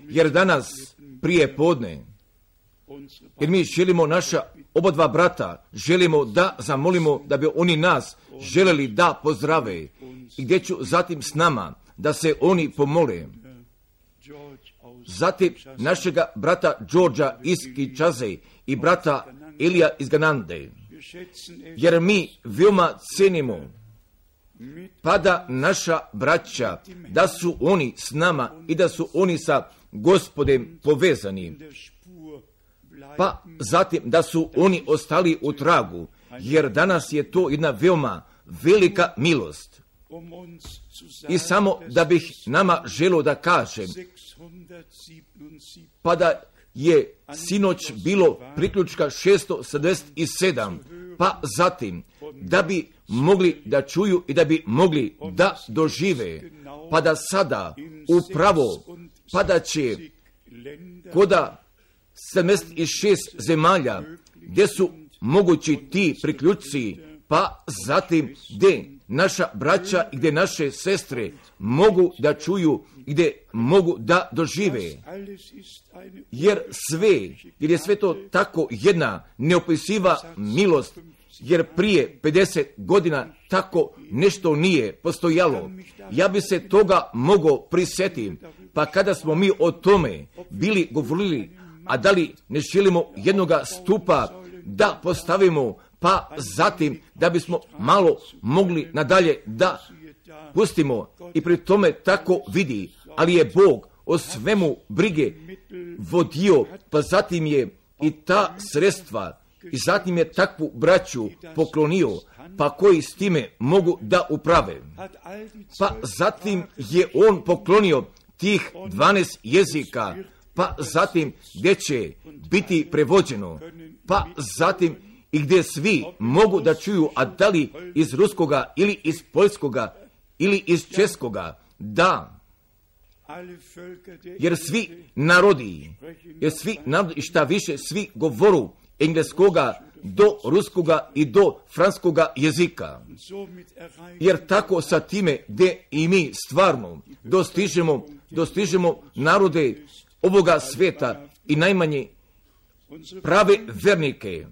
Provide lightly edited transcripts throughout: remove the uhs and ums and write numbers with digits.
Jer danas prije podne, jer mi želimo naša oba dva brata, želimo da zamolimo da bi oni nas želeli da pozdrave i gdje ću zatim s nama da se oni pomole. Zatim našega brata Đorđa iz Kinshase i brata Elija iz Ganande. Jer mi veoma cenimo pa da naša braća, da su oni s nama i da su oni sa Gospodem povezani. Pa zatim da su oni ostali u tragu, jer danas je to jedna veoma velika milost. I samo da bih nama želio da kažem, pa da je sinoć bilo priključka 677, pa zatim da bi mogli da čuju i da bi mogli da dožive, pa da sada upravo, pa da će koda 76 zemalja gdje su mogući ti priključci, pa zatim gdje naša braća i gdje naše sestre mogu da čuju i gdje mogu da dožive. Jer je sve to tako jedna neopisiva milost, jer prije 50 godina tako nešto nije postojalo. Ja bi se toga mogao prisjetiti, pa kada smo mi o tome bili govorili, a da li ne želimo jednoga stupa da postavimo, pa zatim da bismo malo mogli nadalje da pustimo i pri tome tako vidi, ali je Bog o svemu brige vodio, pa zatim je i ta sredstva i zatim je takvu braću poklonio, pa koji s time mogu da uprave. Pa zatim je on poklonio tih 12 jezika, pa zatim gdje će biti prevođeno, pa zatim i gdje svi mogu da čuju, a da li iz ruskoga ili iz poljskoga ili iz českoga, da, jer svi narodi i šta više svi govoru engleskoga do ruskoga i do franskoga jezika. Jer tako sa time gdje i mi stvarno dostižemo narode ovoga sveta i najmanje prave vernike.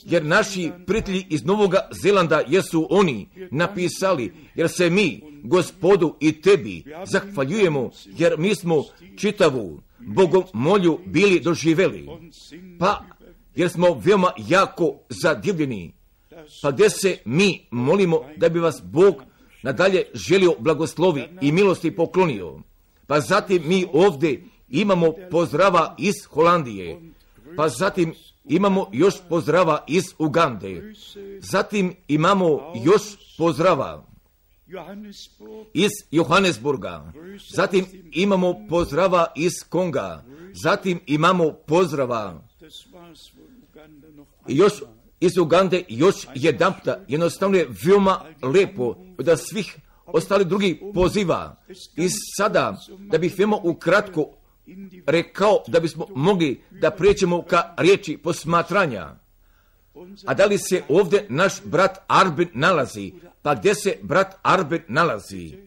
Jer naši prijatelji iz Novoga Zelanda jesu oni napisali, jer se mi Gospodu i tebi zahvaljujemo, jer mi smo čitavu bogomolju bili doživjeli. Pa jer smo veoma jako zadivljeni, pa gdje se mi molimo da bi vas Bog nadalje želio blagoslovi i milosti poklonio. Pa zatim mi ovdje imamo pozdrava iz Holandije, pa zatim imamo još pozdrava iz Ugande, zatim imamo još pozdrava iz Johannesburga, zatim imamo pozdrava iz Konga, zatim imamo pozdrava još iz Ugande, još jedanputa. Jednostavno je veoma lepo da svih ostali drugi poziva. I sada, da bih veoma ukratko rekao, da bismo mogli da prijeđemo ka riječi posmatranja. A da li se ovdje naš brat Arben nalazi? Pa gdje se brat Arben nalazi?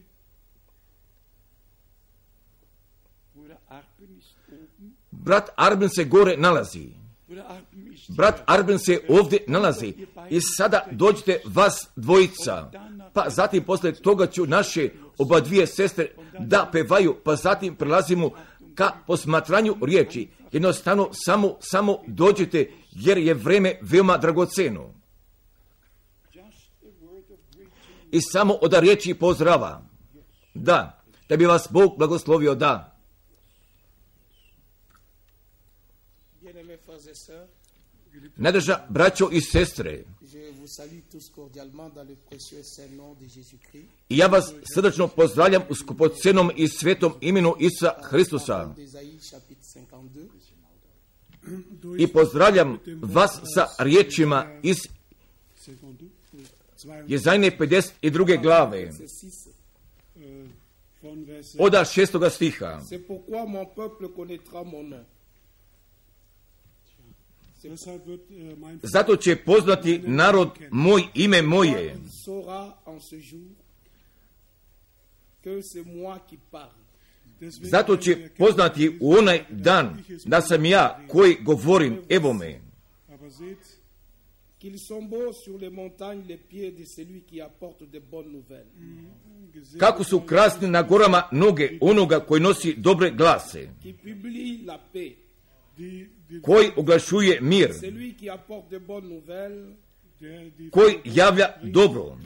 Brat Arben se gore nalazi. Brat Arben se ovdje nalazi. I sada dođite vas dvojica. Pa zatim posle toga ću naše oba dvije sestre da pevaju. Pa zatim prelazimo ka posmatranju riječi. Jednostavno samo dođite, jer je vreme veoma dragoceno. I samo od riječi pozdrava. Da bi vas Bog blagoslovio, da. Najdraža braćo i sestre, i ja vas srdačno pozdravljam u skupocenom i svetom imenu Isusa Hristusa. I pozdravljam vas sa riječima iz Jezajne 52. glave od 6. stiha. Zato će poznati narod moj ime moje. Zato će poznati u onaj dan da sam ja koji govorim, evo me. Kako su krasne na gorama noge onoga koji nosi dobre glase, koji oglašuje mir, koji javlja dobro,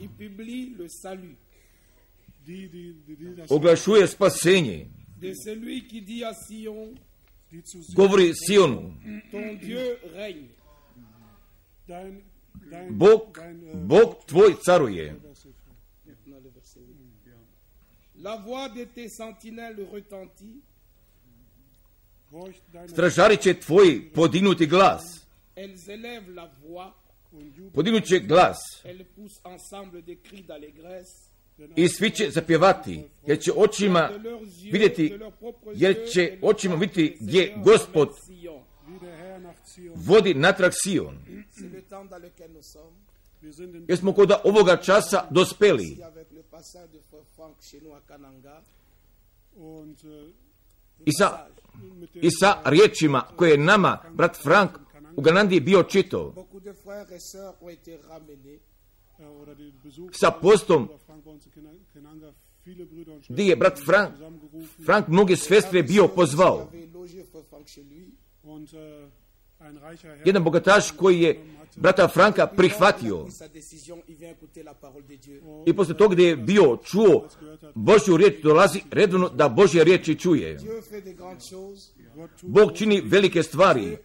oglašuje spasenje, govori Sionu, Bog tvoj caruje. Stražari će tvoji podignuti glas, podignut će glas i svi će zapjevati, jer će očima vidjeti gdje Gospod vodi natrag Sion. Jer smo kod ovoga časa dospeli. I sa riječima koje je nama brat Frank u Kanadi bio čitao, sa postom gdje je brat Frank mnoge sestre bio pozvao. Jedan bogataš koji je brata Franka prihvatio i poslije toga gdje je bio čuo Božju riječ, dolazi redovno da Božja riječ i čuje. Bog čini velike stvari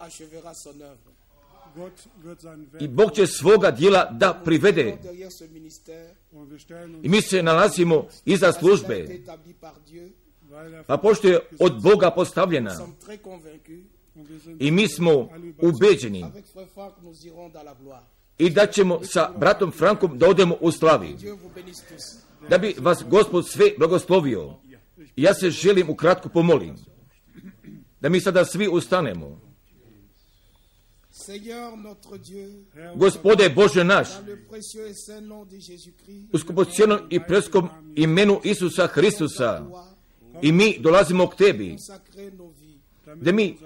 i Bog će svoga djela da privede. I mi se nalazimo iza službe, pa pošto je od Boga postavljena i mi smo ubeđeni i da ćemo sa bratom Frankom da odemo u slavi. Da bi vas Gospod sve blagoslovio. Ja se želim ukratko pomolim da mi sada svi ustanemo. Gospode Bože naš, u skupocjenom i preskom imenu Isusa Hristusa, i mi dolazimo k Tebi, da mi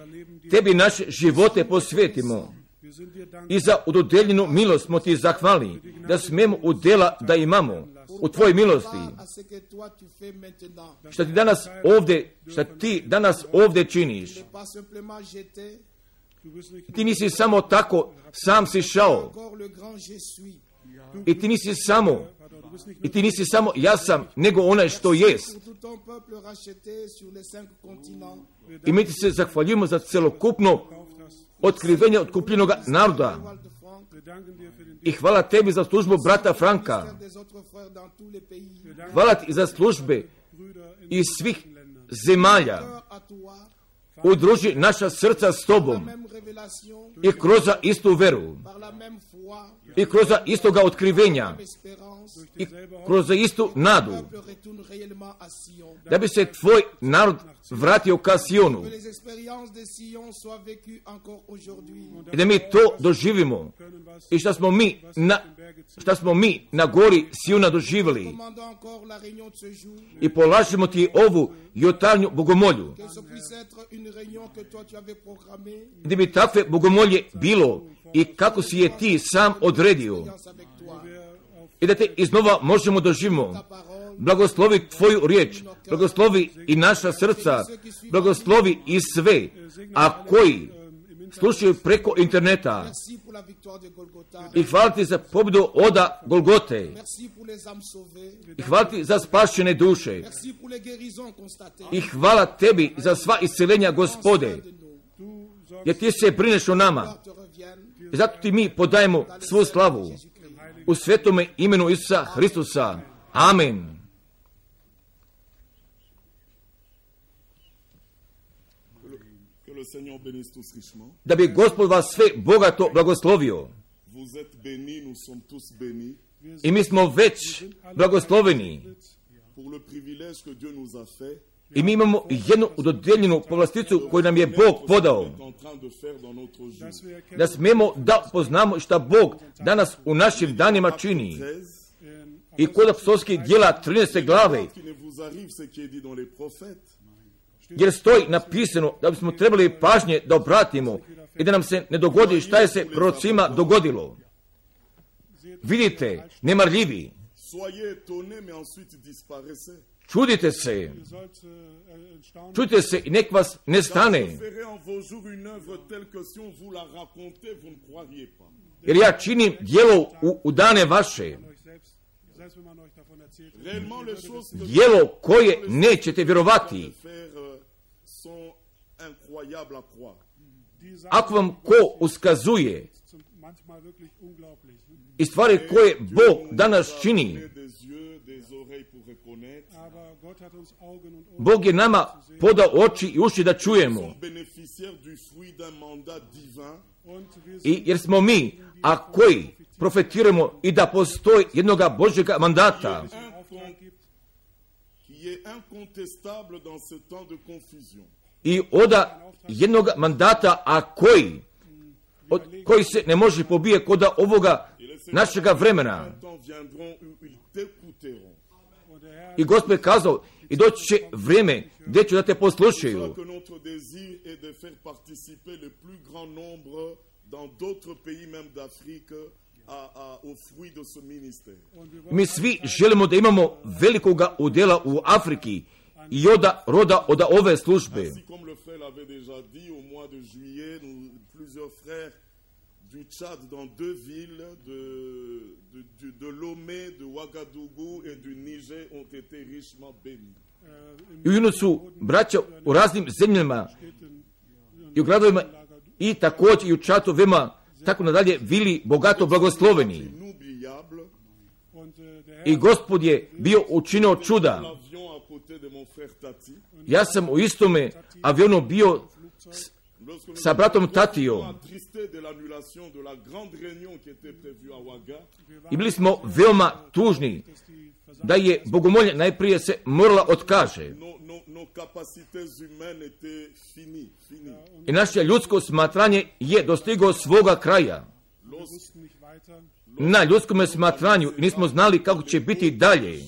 Tebi naše živote posvetimo i za udodeljenu milost smo Ti zahvalni, da smemo udjela da imamo u Tvojoj milosti. Šta Ti danas ovdje činiš. Ti nisi samo tako, sam si šao. I ti nisi samo ja sam, nego onaj što jest. I mi ti se zahvaljujemo za celokupno otkrivenje otkupljenog naroda. I hvala Tebi za službu brata Franka. Hvala Ti za službe iz svih zemalja. Udruži naša srca s Tobom i kroz istu veru i kroz istoga otkrivenja i kroz istu nadu, da bi se Tvoj narod vratio ka Sionu i da mi to doživimo i šta smo mi na gori Siona doživjeli. I polažemo Ti ovu jutarnju bogomolju, da bi takve bogomolje bilo i kako si je Ti sam odredio i da Te iznova možemo doživimo. Blagoslovi Tvoju riječ, blagoslovi i naša srca, blagoslovi i sve, a koji slušaju preko interneta. I hvala Ti za pobjedu oda Golgote. I hvala Ti za spašene duše. I hvala Tebi za sva isceljenja, Gospode, jer Ti se brineš o nama. I zato Ti mi podajemo svu slavu u svetome imenu Isusa Hristusa. Amen. Da bi Gospod vas sve bogato blagoslovio. I mi smo već blagosloveni. I mi imamo jednu dodijeljenu povlasticu koju nam je Bog podao. Da smemo da poznamo šta Bog danas u našim danima čini. I kod apostolskih djela 13. glave jer stoji napisano da bismo trebali pažnje da obratimo i da nam se ne dogodi šta je se prorocima dogodilo. Vidite, nemarljivi, čudite se i nek vas ne stane. Jer ja činim djelo u dane vaše. Djelo koje nećete vjerovati. Ako vam ko uskazuje i stvari koje Bog danas čini, Bog je nama podao oči i uši da čujemo. I jer smo mi, a koji profetiramo i da postoji jednoga Božjega mandata, i oda jednog mandata, a koji se ne može pobije kod ovoga našega vremena. I Gospod je kazao, i doći će vrijeme gdje ću da te poslušaju. Mi svi želimo da imamo velikoga udjela u Afriki i roda od ove službe. Du Tchad dans deux villes de Lomé, de Ouagadougou et du Niger ont été richement bénis. I u su braća u raznim zemljama i u gradovima i također i u Čatovima, tako nadalje, bili bogato blagosloveni. I Gospod je bio učinio čuda. Ja sam u istome avionu bio sa bratom Tatijom i bili smo veoma tužni da je bogomolje najprije se morala otkaže. I naše ljudsko smatranje je dostiglo svoga kraja. Na ljudskom smatranju nismo znali kako će biti dalje.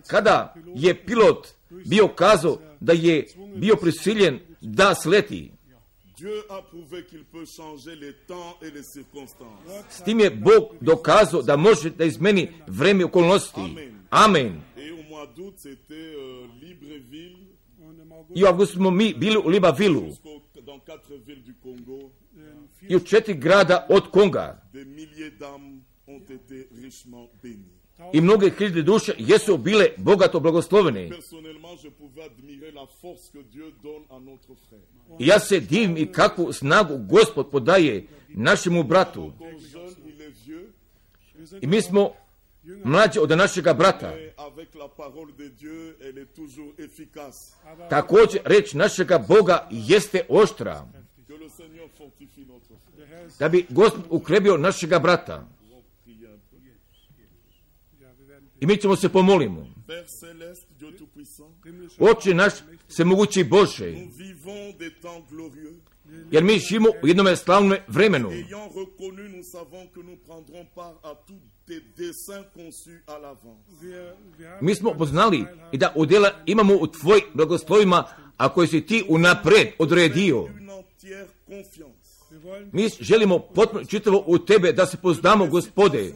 Kada je pilot bio kazao da je bio prisiljen da sleti, s tim je Bog dokazao da može da izmeni vreme okolnosti. Amen. I u avgustu smo mi bili u Libreville i u 4 grada od Konga. I mnoge hiljade duše jesu bile bogato blagoslovene. I ja se divim i kakvu snagu Gospod podaje našemu bratu. I mi smo mlađi od našega brata. Također reč našega Boga jeste oštra. Da bi Gospod ukrebio našega brata. I mi ćemo se pomolimo. Oče naš svemogući Bože, jer mi živimo u jednom slavnom vremenu. Mi smo poznali i da udjela imamo u tvojim blagoslovima, a koje si ti unapred odredio. Mi želimo potpuno čitavo u tebe da se poznamo, Gospode,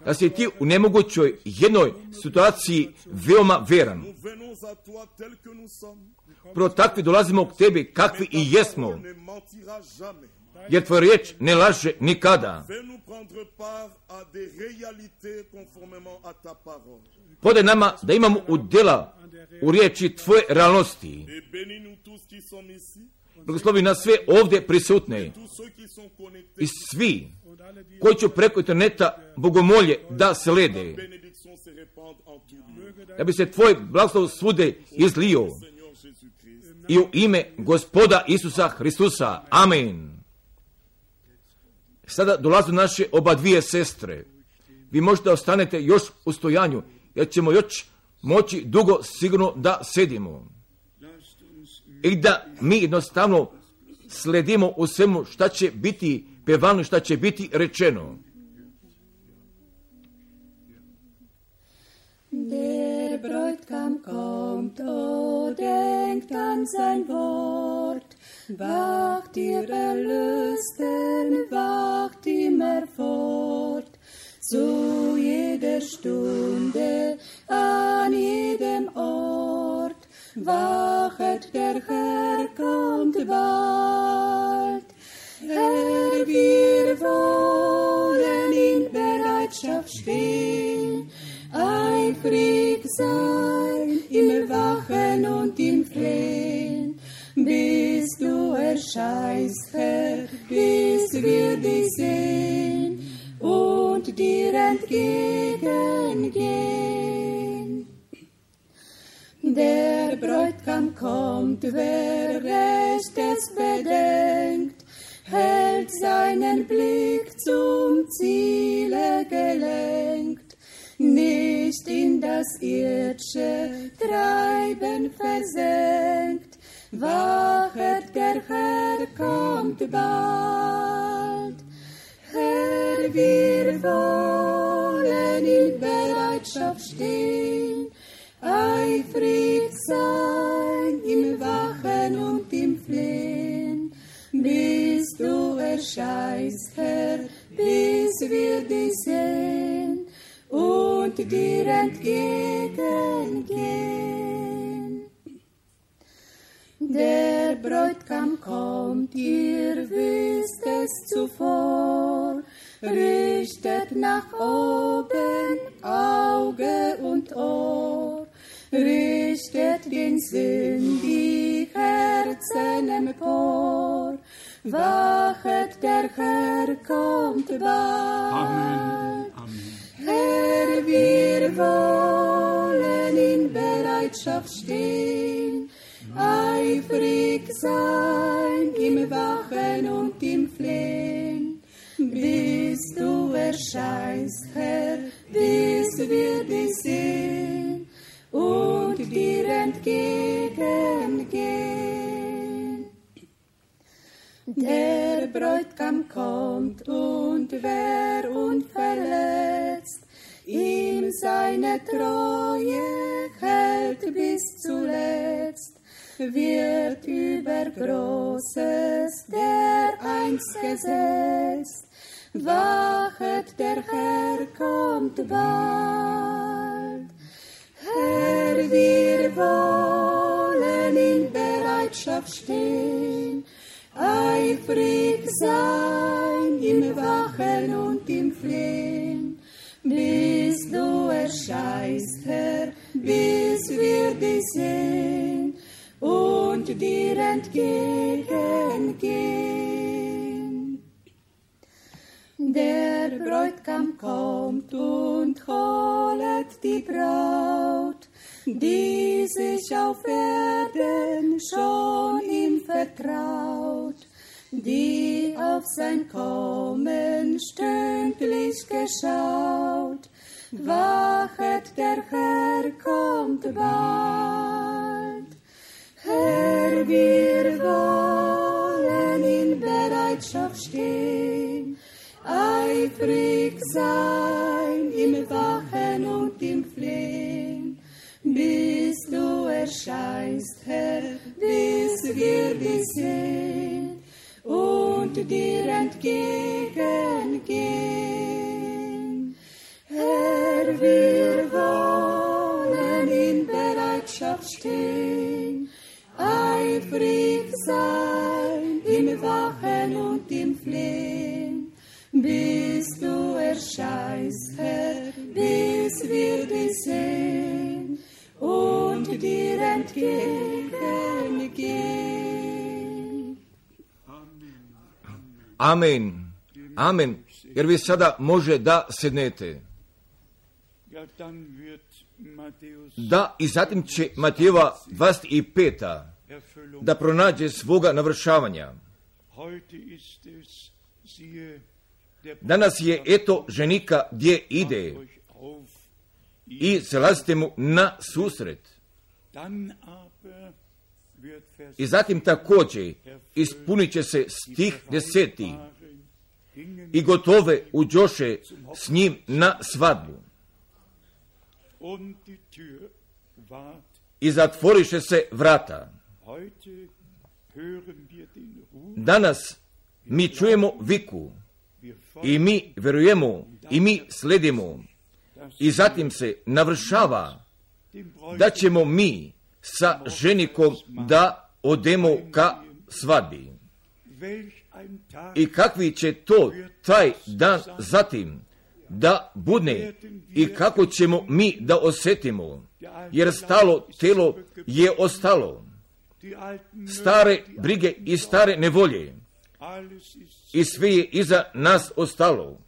da si ti u nemogućoj jednoj situaciji veoma veran. Pro takvi dolazimo k tebi kakvi i jesmo, jer tvoj riječ ne laže nikada. Podaj nama da imamo udjela u riječi tvoje realnosti. Blagoslovi nas sve ovdje prisutne i svi koji će preko interneta bogomolje da slede, da bi se tvoj blagoslov svude izlio i u ime Gospoda Isusa Hristusa. Amen. Sada dolaze naše oba dvije sestre. Vi možete da ostanete još u stojanju, jer ćemo još moći dugo sigurno da sedimo. I da mi jednostavno sledimo u svemu šta će biti pevano, šta će biti rečeno. denkt an sein Wort. Wacht ihr Erlösten, wacht immer fort. Zu jeder Stunde, an jedem Ort. Wachet, der Herr kommt bald. Herr, wir wollen in Bereitschaft stehen, eifrig sein, im Wachen und im Flehen, bis du erscheinst, Herr, bis wir dich sehen und dir entgegengehen. Der Bräutigam kommt, wer Rechtes bedenkt, hält seinen Blick zum Ziele gelenkt, nicht in das irdische Treiben versenkt. Wachet, der Herr kommt bald. Herr, wir wollen in Bereitschaft stehen, eifrig sein, im Wachen und im Flehen, bis du erscheinst, Herr, bis wir dich sehen und dir entgegengehen. Der Bräutigam kommt, ihr wisst es zuvor, richtet nach oben Auge und Ohr, richtet den Sinn, die Herzen empor. Wachet, der Herr kommt bald. Amen. Amen. Herr, wir wollen in Bereitschaft stehen, eifrig sein, im Wachen und im Flehen, bis du erscheinst, Herr, bis wir dich sehen und dir entgegengehen. Der Bräutigam kommt, und wer unverletzt ihm seine Treue hält bis zuletzt, wird über Großes dereinst gesetzt. Wachet, der Herr kommt bald. Herr, wir wollen in Bereitschaft stehen, eifrig sein, im Wachen und im Flehen, bis du erscheinst, Herr, bis wir dich sehen und dir entgegengehen. Der Bräutigam kommt und holet die Braut, die sich auf Erden schon ihm vertraut, die auf sein Kommen stündlich geschaut. Wachet, der Herr kommt bald. Herr, wir wollen in Bereitschaft stehen, eifrig sein, im Wachen und im Flehen, bis du erscheinst, Herr, bis wir dich sehen und dir entgegengehen. Herr, wir wollen in Bereitschaft stehen, eifrig sein, im Wachen und im Flehen, bis du erscheinst, Herr, bis wir dich sehen und dir entgegengehen. Amen. Amen. Jer vi sada može da sednete. Da, i zatim će Matejeva 25. da pronađe svoga navršavanja. Danas je, eto, ženika gdje ide i zalazite mu na susret. I zatim također ispunit će se stih 10. I gotove uđoše s njim na svadbu. I zatvoriše se vrata. Danas mi čujemo viku i mi vjerujemo i mi sledimo i zatim se navršava da ćemo mi sa ženikom da odemo ka svadbi. I kakvi će to taj dan zatim da budne i kako ćemo mi da osjetimo, jer stalo telo je ostalo. Stare brige i stare nevolje i sve je iza nas ostalo.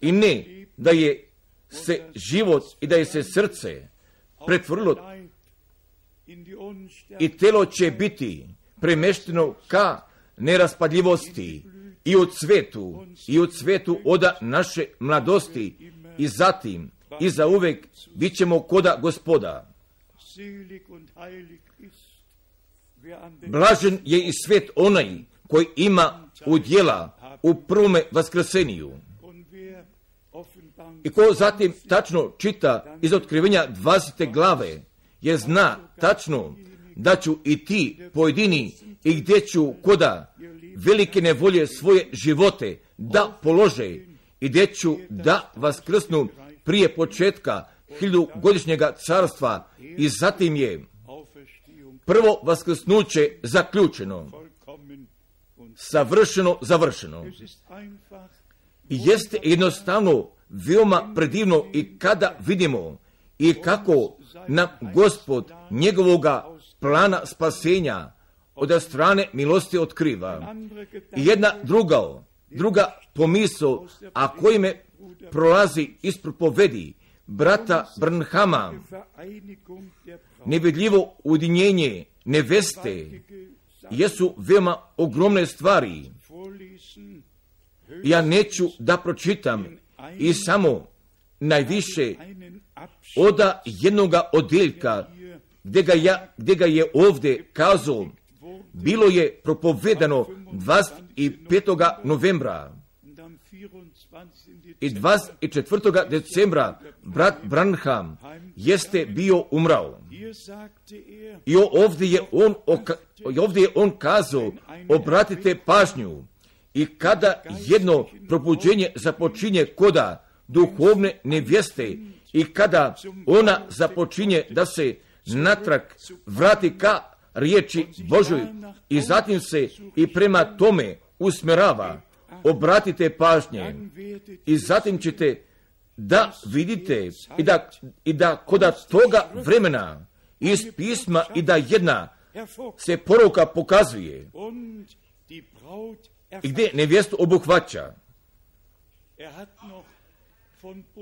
I ne da je se život i da je se srce pretvorilo i telo će biti premešteno ka neraspadljivosti i u cvetu oda naše mladosti i zatim i za uvek bit ćemo koda Gospoda. Blažen je i svet onaj koji ima udjela u prvome vaskrseniju. I ko zatim tačno čita iz otkrivenja 20. glave, jer zna tačno da ću i ti pojedini i gdje ću koda velike nevolje svoje živote da polože i gdje ću da vaskrsnu prije početka 1000-godišnjega carstva i zatim je prvo vaskrsnuće zaključeno, savršeno završeno. I jeste jednostavno veoma predivno i kada vidimo i kako nam Gospod njegovoga plana spasenja od strane milosti otkriva. I jedna druga pomisao, a koji me prolazi iz propovedi brata Branhama, nevidljivo ujedinjenje neveste, jesu veoma ogromne stvari. Ja neću da pročitam i samo najviše oda jednoga odjeljka gdje ga je ovdje kazao. Bilo je propovedano 25. novembra i 24. decembra brat Branham jeste bio umrao. I ovdje je on kazao, obratite pažnju, i kada jedno probuđenje započinje koda duhovne nevjeste i kada ona započinje da se natrag vrati ka riječi Božoj i zatim se i prema tome usmjerava, obratite pažnje i zatim ćete da vidite i da koda toga vremena iz pisma i da jedna se poruka pokazuje i gdje nevjestu obuhvaća.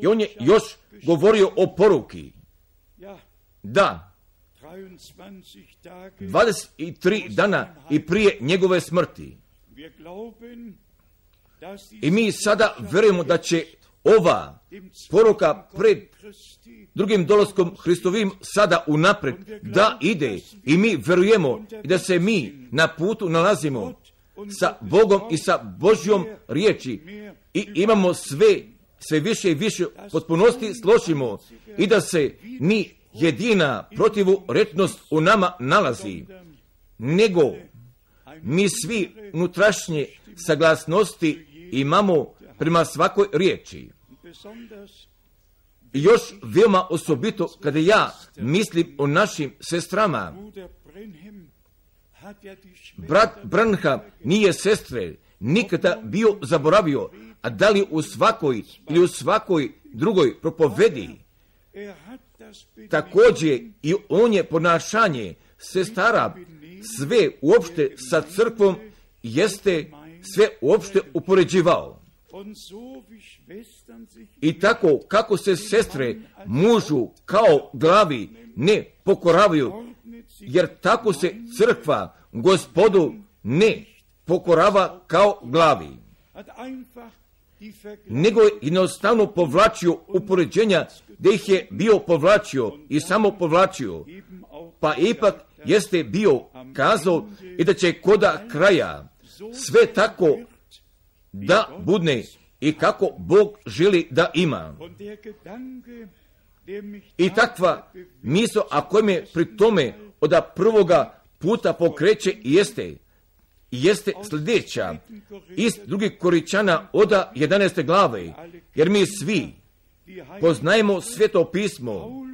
I on je još govorio o poruki. Da, 23 dana i prije njegove smrti. I mi sada vjerujemo da će ova poruka pred drugim dolaskom Hristovim sada unapred da ide i mi vjerujemo da se mi na putu nalazimo sa Bogom i sa Božjom riječi i imamo sve više i više potpunosti složimo i da se ni jedina protivurečnost u nama nalazi, nego mi svi unutrašnje saglasnosti imamo prema svakoj riječi. I još veoma osobito kada ja mislim o našim sestrama. Brat Branham nije sestre nikada bio zaboravio, a da li u svakoj ili u svakoj drugoj propovedi. Također i on je ponašanje sestara sve uopšte sa crkvom jeste sve uopšte upoređivao. I tako kako se sestre mužu kao glavi ne pokoravaju, jer tako se crkva Gospodu ne pokorava kao glavi, nego je jednostavno povlačio upoređenja gdje ih je bio povlačio i samo povlačio, pa ipak jeste bio kazao i da će koda kraja sve tako da budne i kako Bog želi da ima. I takva misao, a koja me pri tome od prvoga puta pokreće jeste sljedeća iz 2. Korinćana od 11. glave, jer mi svi poznajemo Sveto pismo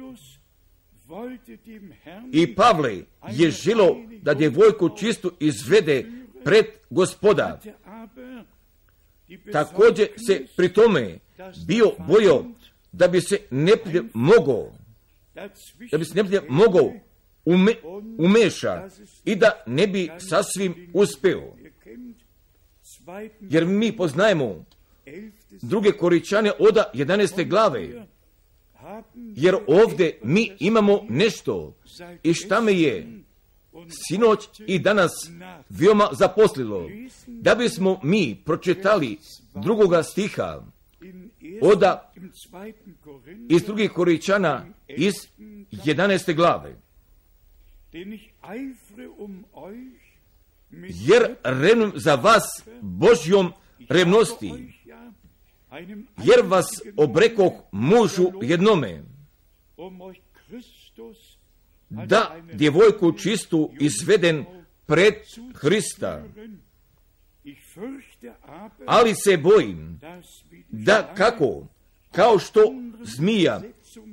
i Pavle je želo da djevojku čistu izvede pred Gospoda. Također se pri tome bio bojao da bi se neprijatelj mogao umeša i da ne bi sasvim uspeo. Jer mi poznajemo 2. Korinćane od 11. glave, jer ovdje mi imamo nešto i šta me je sinoć i danas veoma zaposlilo, da bismo mi pročitali 2. stiha iz 2. Korinćana iz 11. glave. Jer revnujem za vas Božjom revnosti, jer vas obrekoh mužu jednome, da djevojku čistu izveden pred Hrista. Ali se bojim da kao što zmija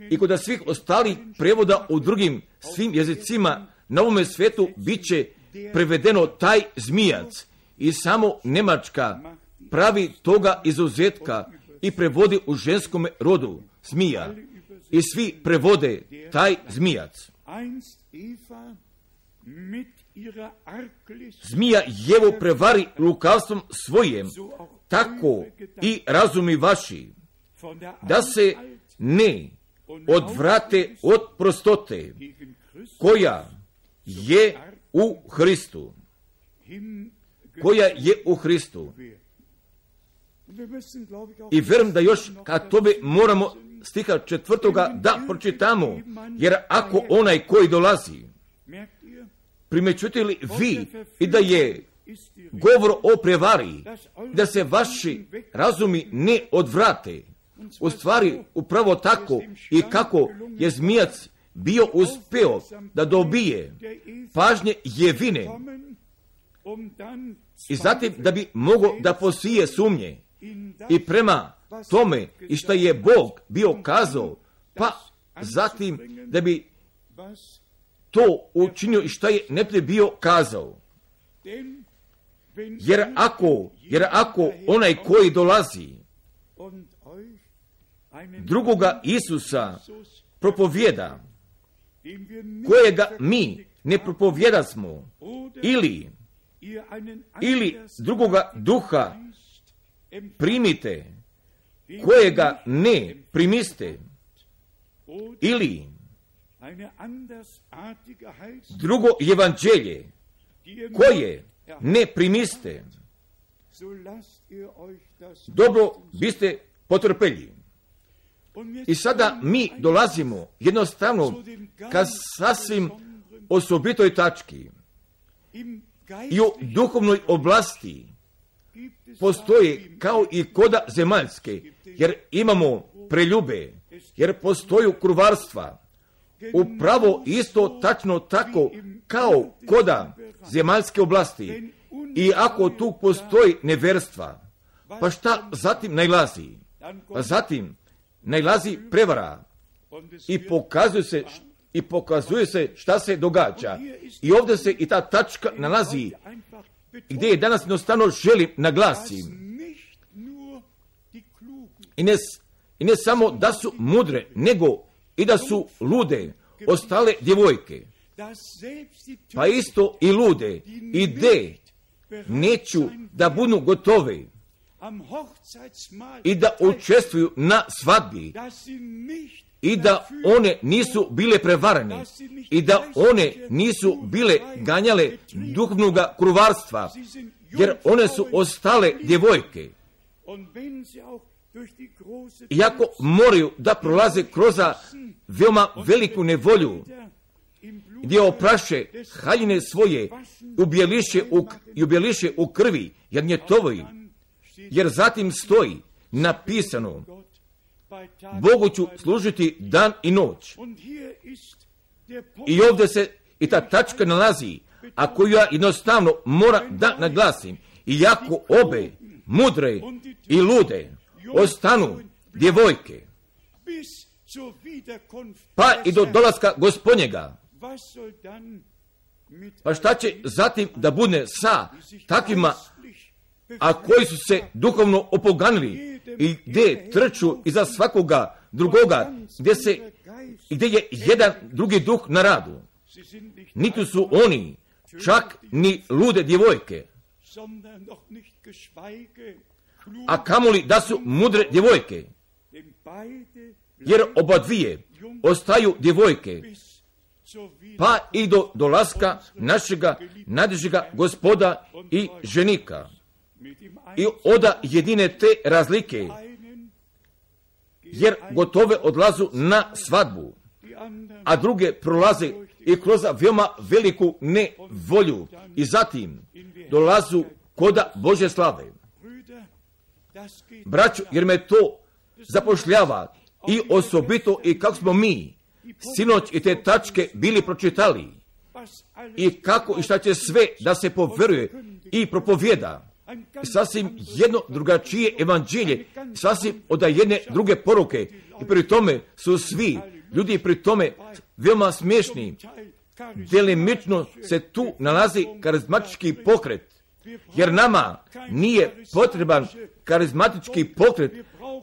i kod svih ostalih prevoda u drugim svim jezicima na ovome svetu bit će prevedeno taj zmijac i samo Njemačka pravi toga izuzetka i prevodi u ženskom rodu zmija i svi prevode taj zmijac. Zmija Jevu prevari lukavstvom svojem, tako i razumi vaši, da se ne odvrate od prostote koja je u Hristu. Koja je u Hristu. I vjerujem da još kad tome moramo stiha 4. da pročitamo, jer ako onaj koji dolazi, primećujete li vi i da je govor o prevari, da se vaši razumi ne odvrate, u stvari upravo tako i kako je zmijac bio uspeo da dobije pažnje Jevine i zatim da bi mogao da posije sumnje i prema tome i što je Bog bio kazao, pa zatim da bi to učinio i što je neprijatelj bio kazao. Jer ako onaj koji dolazi drugoga Isusa propovjeda, kojega mi ne propovjedasmo, ili drugoga duha primite, kojega ne primiste, ili drugo evanđelje, koje ne primiste, dobro biste potrpeli. I sada mi dolazimo jednostavno ka sasvim osobitoj tački. I u duhovnoj oblasti postoje kao i koda zemaljske, jer imamo preljube, jer postoju kruvarstva. Upravo isto tačno tako kao koda zemaljske oblasti. I ako tu postoji neverstva, pa šta zatim najlazi? Pa zatim najlazi prevara i pokazuje se šta se događa. I ovdje se i ta tačka nalazi gdje je danas jednostavno želim naglasiti. I ne samo da su mudre, nego i da su lude ostale djevojke. Pa isto i lude i de neću da budu gotove i da učestvuju na svadbi i da one nisu bile prevarene i da one nisu bile ganjale duhovnog kruvarstva, jer one su ostale djevojke. Iako moraju da prolaze kroz veoma veliku nevolju, gdje opraše haljine svoje i ubjeliše u krvi jagnjetovoj, jer zatim stoji napisano: Bogu ću služiti dan i noć. I ovdje se i ta tačka nalazi, a koju ja jednostavno moram da naglasim. Iako obe, mudre i lude, ostanu djevojke, pa i do dolaska Gospodnjega, pa šta će zatim da bude sa takvima, a koji su se duhovno opoganili i gdje trču iza svakoga drugoga, gdje je jedan drugi duh na radu. Niti su oni čak ni lude djevojke, a kamoli da su mudre djevojke, jer oba dvije ostaju djevojke, pa i do dolaska našega najdražega Gospoda i ženika. I oda jedine te razlike, jer gotove odlazu na svadbu, a druge prolaze i kroz veoma veliku nevolju i zatim dolazu koda Božje slave. Braćo, jer me to zapošljava i osobito i kako smo mi sinoć i te tačke bili pročitali i kako i šta će sve da se poveruje i propovjeda. Sasvim jedno drugačije evanđelje, sasvim od jedne druge poruke, i pri tome su svi ljudi pri tome veoma smiješni. Delimično se tu nalazi karizmatički pokret, jer nama nije potreban karizmatički pokret,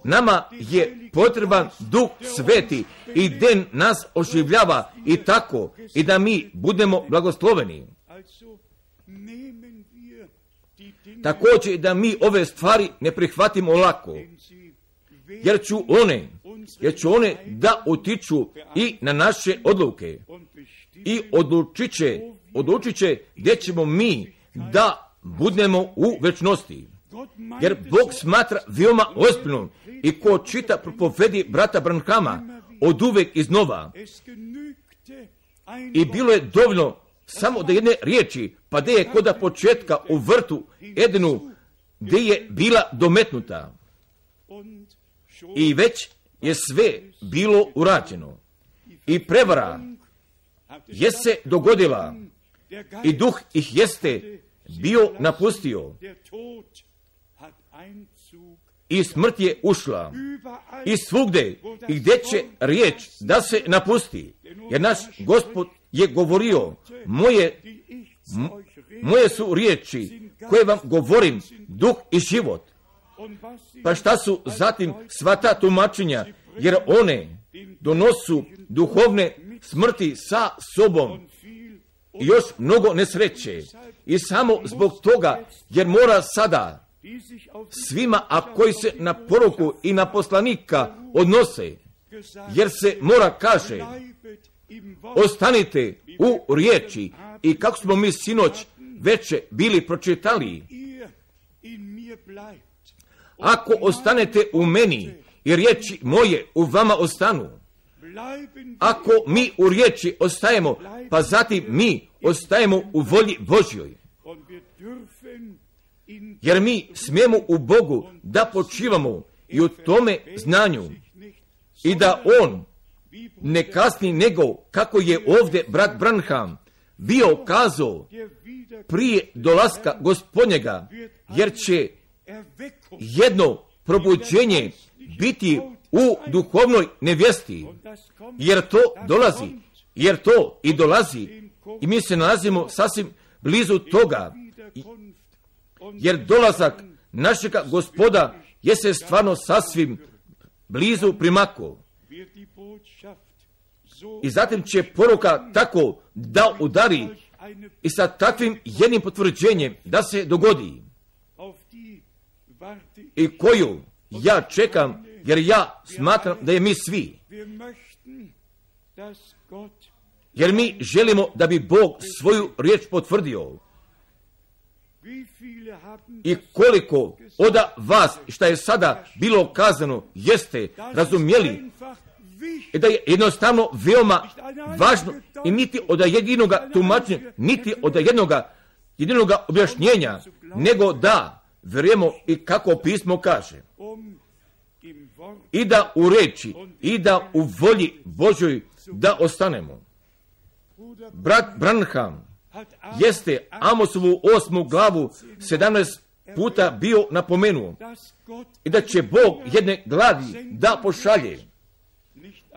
nama je potreban Duh Sveti i den nas oživljava i tako i da mi budemo blagosloveni. Također da mi ove stvari ne prihvatimo lako, jer će one da utiču i na naše odluke i odlučit će gdje ćemo mi da budemo u večnosti. Jer Bog smatra veoma ozbiljno i ko čita propovedi brata Branhama od uvek iznova. I bilo je dovoljno samo da jedne riječi, pa gdje je koda početka u vrtu Edenu, gdje je bila dometnuta. I već je sve bilo urađeno. I prevara je se dogodila i duh ih jeste bio napustio i smrt je ušla i svugde i gdje će riječ da se napusti, jer naš Gospod je govorio, moje su riječi koje vam govorim, duh i život. Pa šta su zatim sva ta tumačenja, jer one donosu duhovne smrti sa sobom i još mnogo nesreće. I samo zbog toga, jer mora sada svima, a koji se na poruku i na poslanika odnose, jer se mora kaže, ostanite u riječi, i kako smo mi sinoć veče bili pročitali, ako ostanete u meni i riječi moje u vama ostanu, ako mi u riječi ostajemo, pa zatim mi ostajemo u volji Božjoj, jer mi smijemo u Bogu da počivamo i u tome znanju i da On ne kasni nego kako je ovdje brat Branham bio kazao prije dolaska Gospodnjega, jer će jedno probuđenje biti u duhovnoj nevjesti, jer to i dolazi i mi se nalazimo sasvim blizu toga, jer dolazak našega Gospoda je se stvarno sasvim blizu primako. I zatim će poruka tako da udari i sa takvim jednim potvrđenjem da se dogodi, i koju ja čekam, jer ja smatram da je mi svi, jer mi želimo da bi Bog svoju riječ potvrdio. I koliko od vas šta je sada bilo kazano jeste razumjeli i da je jednostavno veoma važno i niti od jedinoga tumačenja, niti od jedinoga objašnjenja, nego da vjerujemo i kako pismo kaže. I da u reči, i da u volji Božoj da ostanemo. Brat Branham jeste Amosovu 8. glavu 17 puta bio napomenuo i da će Bog jedne gladi da pošalje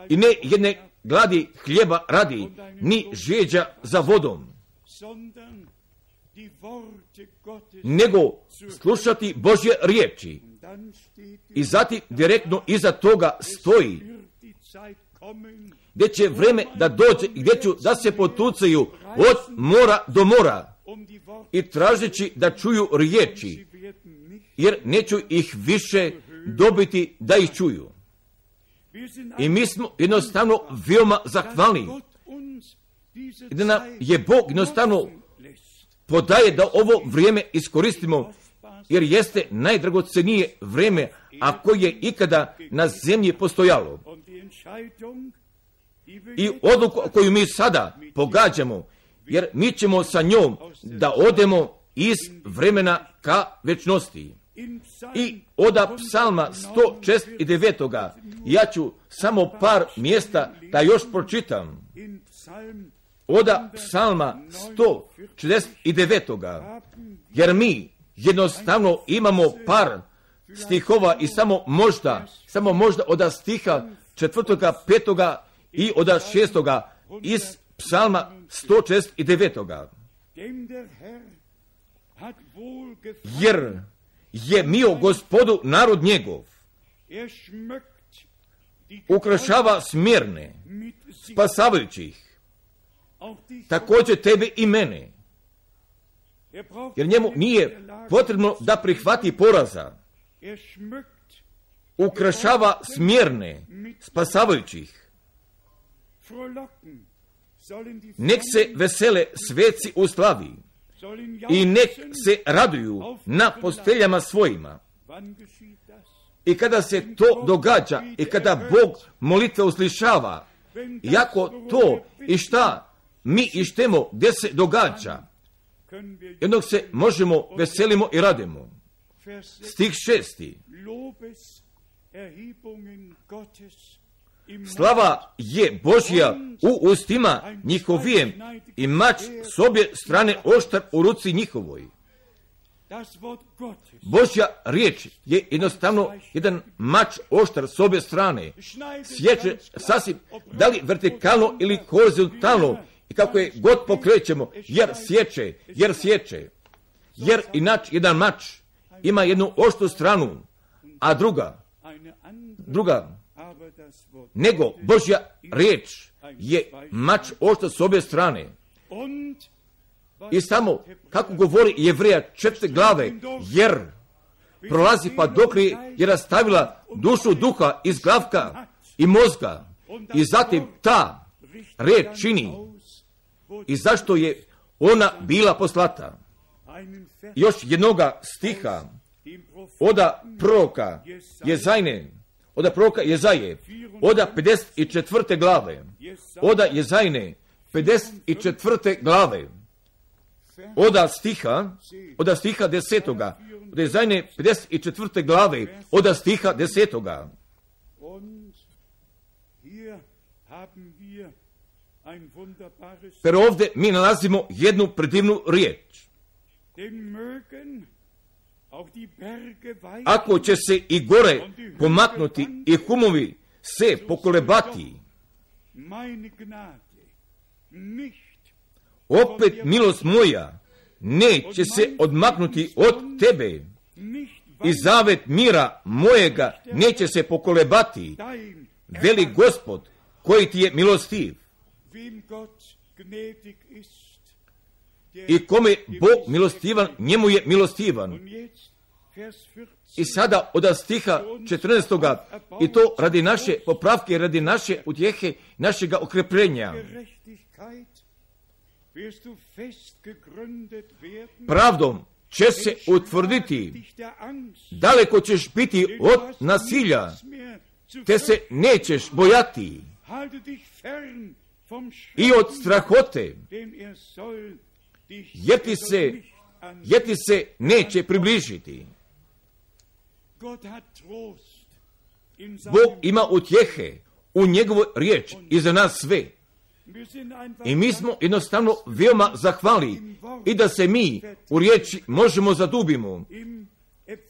i ne jedne gladi hljeba radi, ni žeđa za vodom, nego slušati Božje riječi. I zatim direktno iza toga stoji gdje će vreme da dođe i gdje ću da se potucaju od mora do mora i tražeći da čuju riječi, jer neću ih više dobiti da ih čuju. I mi smo jednostavno veoma zahvalni da nam je Bog jednostavno podaje da ovo vrijeme iskoristimo, jer jeste najdragocenije vrijeme, a koje je ikada na zemlji postojalo. I odluku koju mi sada pogađamo, jer mi ćemo sa njom da odemo iz vremena ka večnosti. I od psalma 169. ja ću samo par mjesta da još pročitam. Od psalma 169. Jer mi jednostavno imamo par stihova i samo možda od stiha 4., 5. i od 6. iz psalma 169. Jer je mio Gospodu narod njegov, ukrašava smjerne, spasavajućih, također tebe i mene. Jer njemu nije potrebno da prihvati poraza. Ukrašava smjerne, spasavajućih. Nek se vesele sveci u slavi i nek se raduju na posteljama svojima. I kada se to događa i kada Bog molitve uslišava, iako to i šta mi ištemo gdje se događa, jednog se možemo veselimo i radimo. Stih 6. Slava je Božja u ustima njihovijem i mač s obje strane oštar u ruci njihovoj. Božja riječ je jednostavno jedan mač oštar s obje strane. Sječe sasvim, da li vertikalno ili horizontalno, i kako je god pokrećemo, jer sječe. Jer inače jedan mač ima jednu oštru stranu, a druga, nego Božja riječ je mač oštar s obje strane. I samo, kako govori Jevreja 4. glave, jer prolazi pa dok je rastavila dušu duha iz glavka i mozga, i zatim ta riječ čini i zašto je ona bila poslata. Još jednoga stiha od proroka Jezaje, od 54. glave, od Jezajne 54. glave, od stiha 10. od Jezajne 54. glave, od stiha 10. Pero ovdje mi nalazimo jednu predivnu riječ. Ako će se i gore pomaknuti i humovi se pokolebati, opet milost moja neće se odmaknuti od tebe i zavet mira mojega neće se pokolebati, veli Gospod koji ti je milostiv. I kome Bog milostivan, njemu je milostivan. I sada od stiha 14. i to radi naše popravke, radi naše utjehe, našega okrepljenja. Pravdom će se utvrditi, daleko ćeš biti od nasilja, te se nećeš bojati i od strahote, jer ti se neće približiti. Bog ima utjehe u njegovoj riječi i za nas sve. I mi smo jednostavno veoma zahvali i da se mi u riječi možemo zadubimo.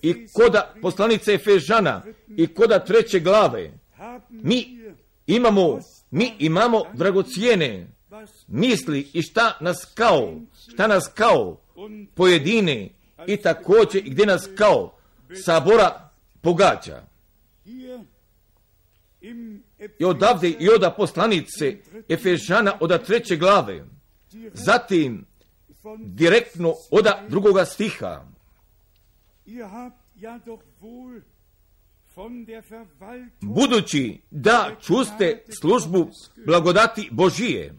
I koda poslanice Efežana i koda 3. glave mi imamo dragocijene misli i šta nas kao pojedine i također gdje nas kao sabora pogađa. I odavde i oda poslanice Efežana oda 3. glave, zatim direktno oda 2. stiha. Budući da čuste službu blagodati Božije,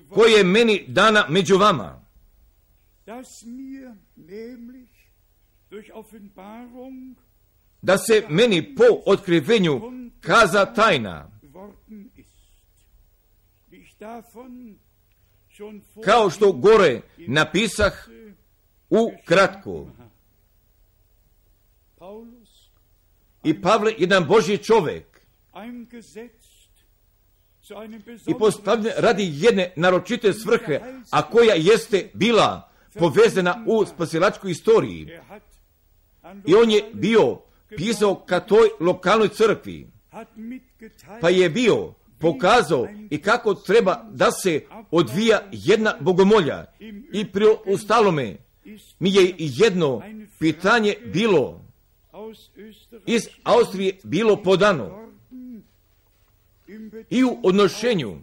koje je meni dana među vama, da se meni po otkrivenju kaza tajna, kao što gore napisah u kratko. I Pavle, jedan Božji čovjek, i postavljen radi jedne naročite svrhe, a koja jeste bila povezana u spasilačkoj istoriji. I on je bio pisao ka toj lokalnoj crkvi, pa je bio pokazao i kako treba da se odvija jedna bogomolja. I pri ostalome mi je jedno pitanje bilo iz Austrije bilo podano i u odnošenju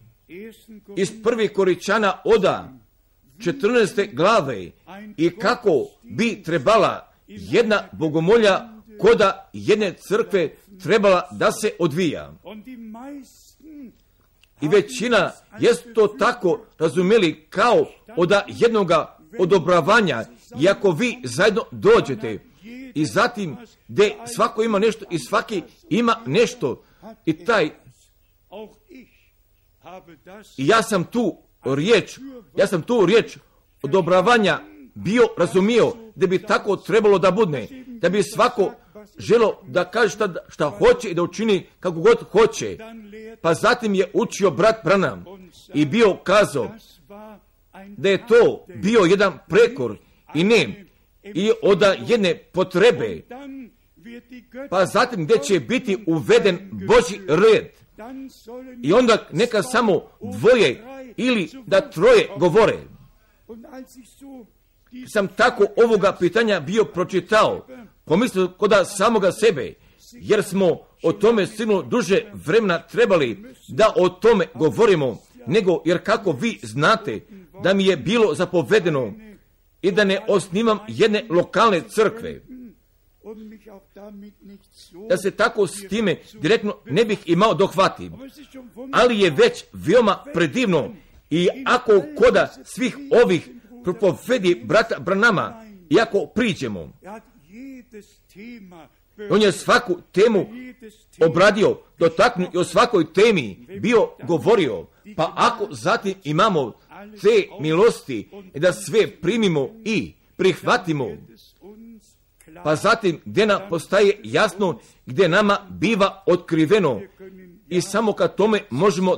iz 1. Korinćana oda 14. glave i kako bi trebala jedna bogomolja koda jedne crkve trebala da se odvija. I većina jest to tako razumjeli kao od jednoga odobravanja, i ako vi zajedno dođete i zatim gdje svako ima nešto i svaki ima nešto i taj i ja sam tu riječ odobravanja bio razumio da bi tako trebalo da bude, da bi svako želo da kaže šta hoće i da učini kako god hoće. Pa zatim je učio brat Branham i bio kazao da je to bio jedan prekor i ne i od jedne potrebe, pa zatim gdje će biti uveden Božji red i onda neka samo dvoje ili da troje govore. Sam tako ovoga pitanja bio pročitao, pomislio kod samoga sebe, jer smo o tome sigurno duže vremena trebali da o tome govorimo, nego jer kako vi znate da mi je bilo zapovedeno i da ne osnivam jedne lokalne crkve, da se tako s time direktno ne bih imao dohvatim, ali je već veoma predivno i ako koda svih ovih propovedi brata Branhama, i ako priđemo, on je svaku temu obradio, dotaknuo i o svakoj temi bio govorio, pa ako zatim imamo te milosti da sve primimo i prihvatimo, pa zatim gdje nam postaje jasno, gdje nama biva otkriveno i samo kad tome možemo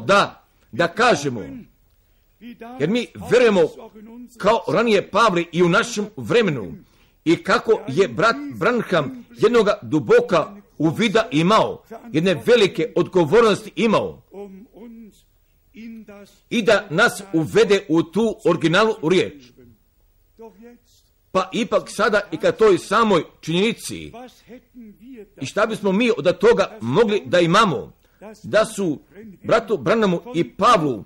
da kažemo. Jer mi verujemo kao ranije Pavle i u našem vremenu i kako je brat Branham jednoga duboka uvida imao, jedne velike odgovornosti imao i da nas uvede u tu originalnu riječ. Pa ipak sada i ka toj samoj činjenici i šta bismo mi od toga mogli da imamo, da su bratu Branhamu i Pavlu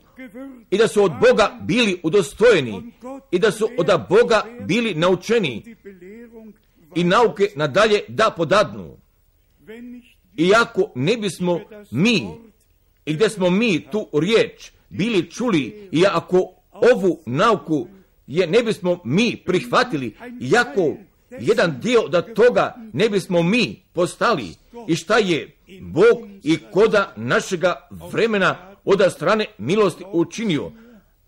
i da su od Boga bili udostojeni i da su od Boga bili naučeni i nauke nadalje da podadnu. Iako ne bismo mi i gdje smo mi tu riječ bili čuli i ako ovu nauku ne bismo mi prihvatili, iako jedan dio da toga ne bismo mi postali i šta je Bog i koda našega vremena od strane milosti učinio.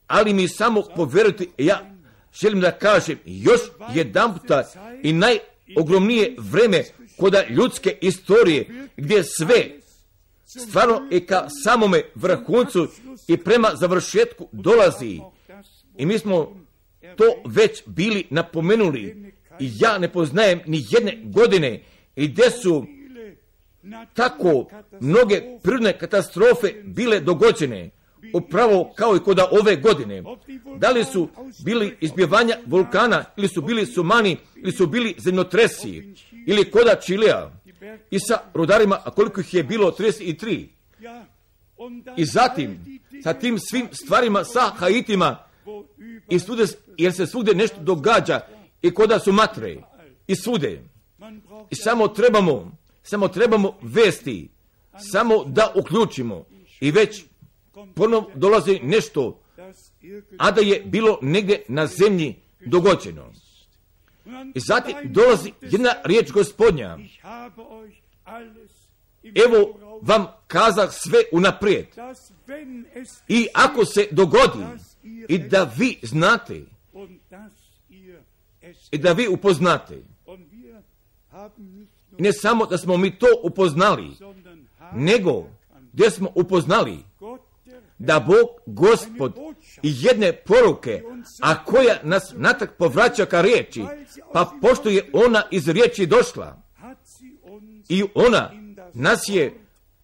Ali mi samo povjerujte, ja želim da kažem još jedan puta i najogromnije vreme koda ljudske istorije gdje stvarno i ka samome vrhuncu i prema završetku dolazi. I mi smo to već bili napomenuli. I ja ne poznajem ni jedne godine i gdje su tako mnoge prirodne katastrofe bile dogođene, upravo kao i kod ove godine. Da li su bili izbjevanja vulkana, ili su bili sumani, ili su bili zemljotresi, ili koda Čilea i sa rudarima, a koliko ih je bilo, 33. I zatim, sa tim svim stvarima, sa Haitima, i svude, jer se svugdje nešto događa, i koda su matre, i svude. I samo trebamo vesti, samo da uključimo. I već ponovno dolazi nešto, a da je bilo negdje na zemlji dogođeno. I zatim dolazi jedna riječ Gospodnja. Evo vam kazah sve unaprijed. I ako se dogodi, i da vi znate, i da vi upoznate, ne samo da smo mi to upoznali, nego gdje smo upoznali da Bog, Gospod, i jedne poruke, a koja nas natrag povraća ka riječi, pa pošto je ona iz riječi došla, i ona nas je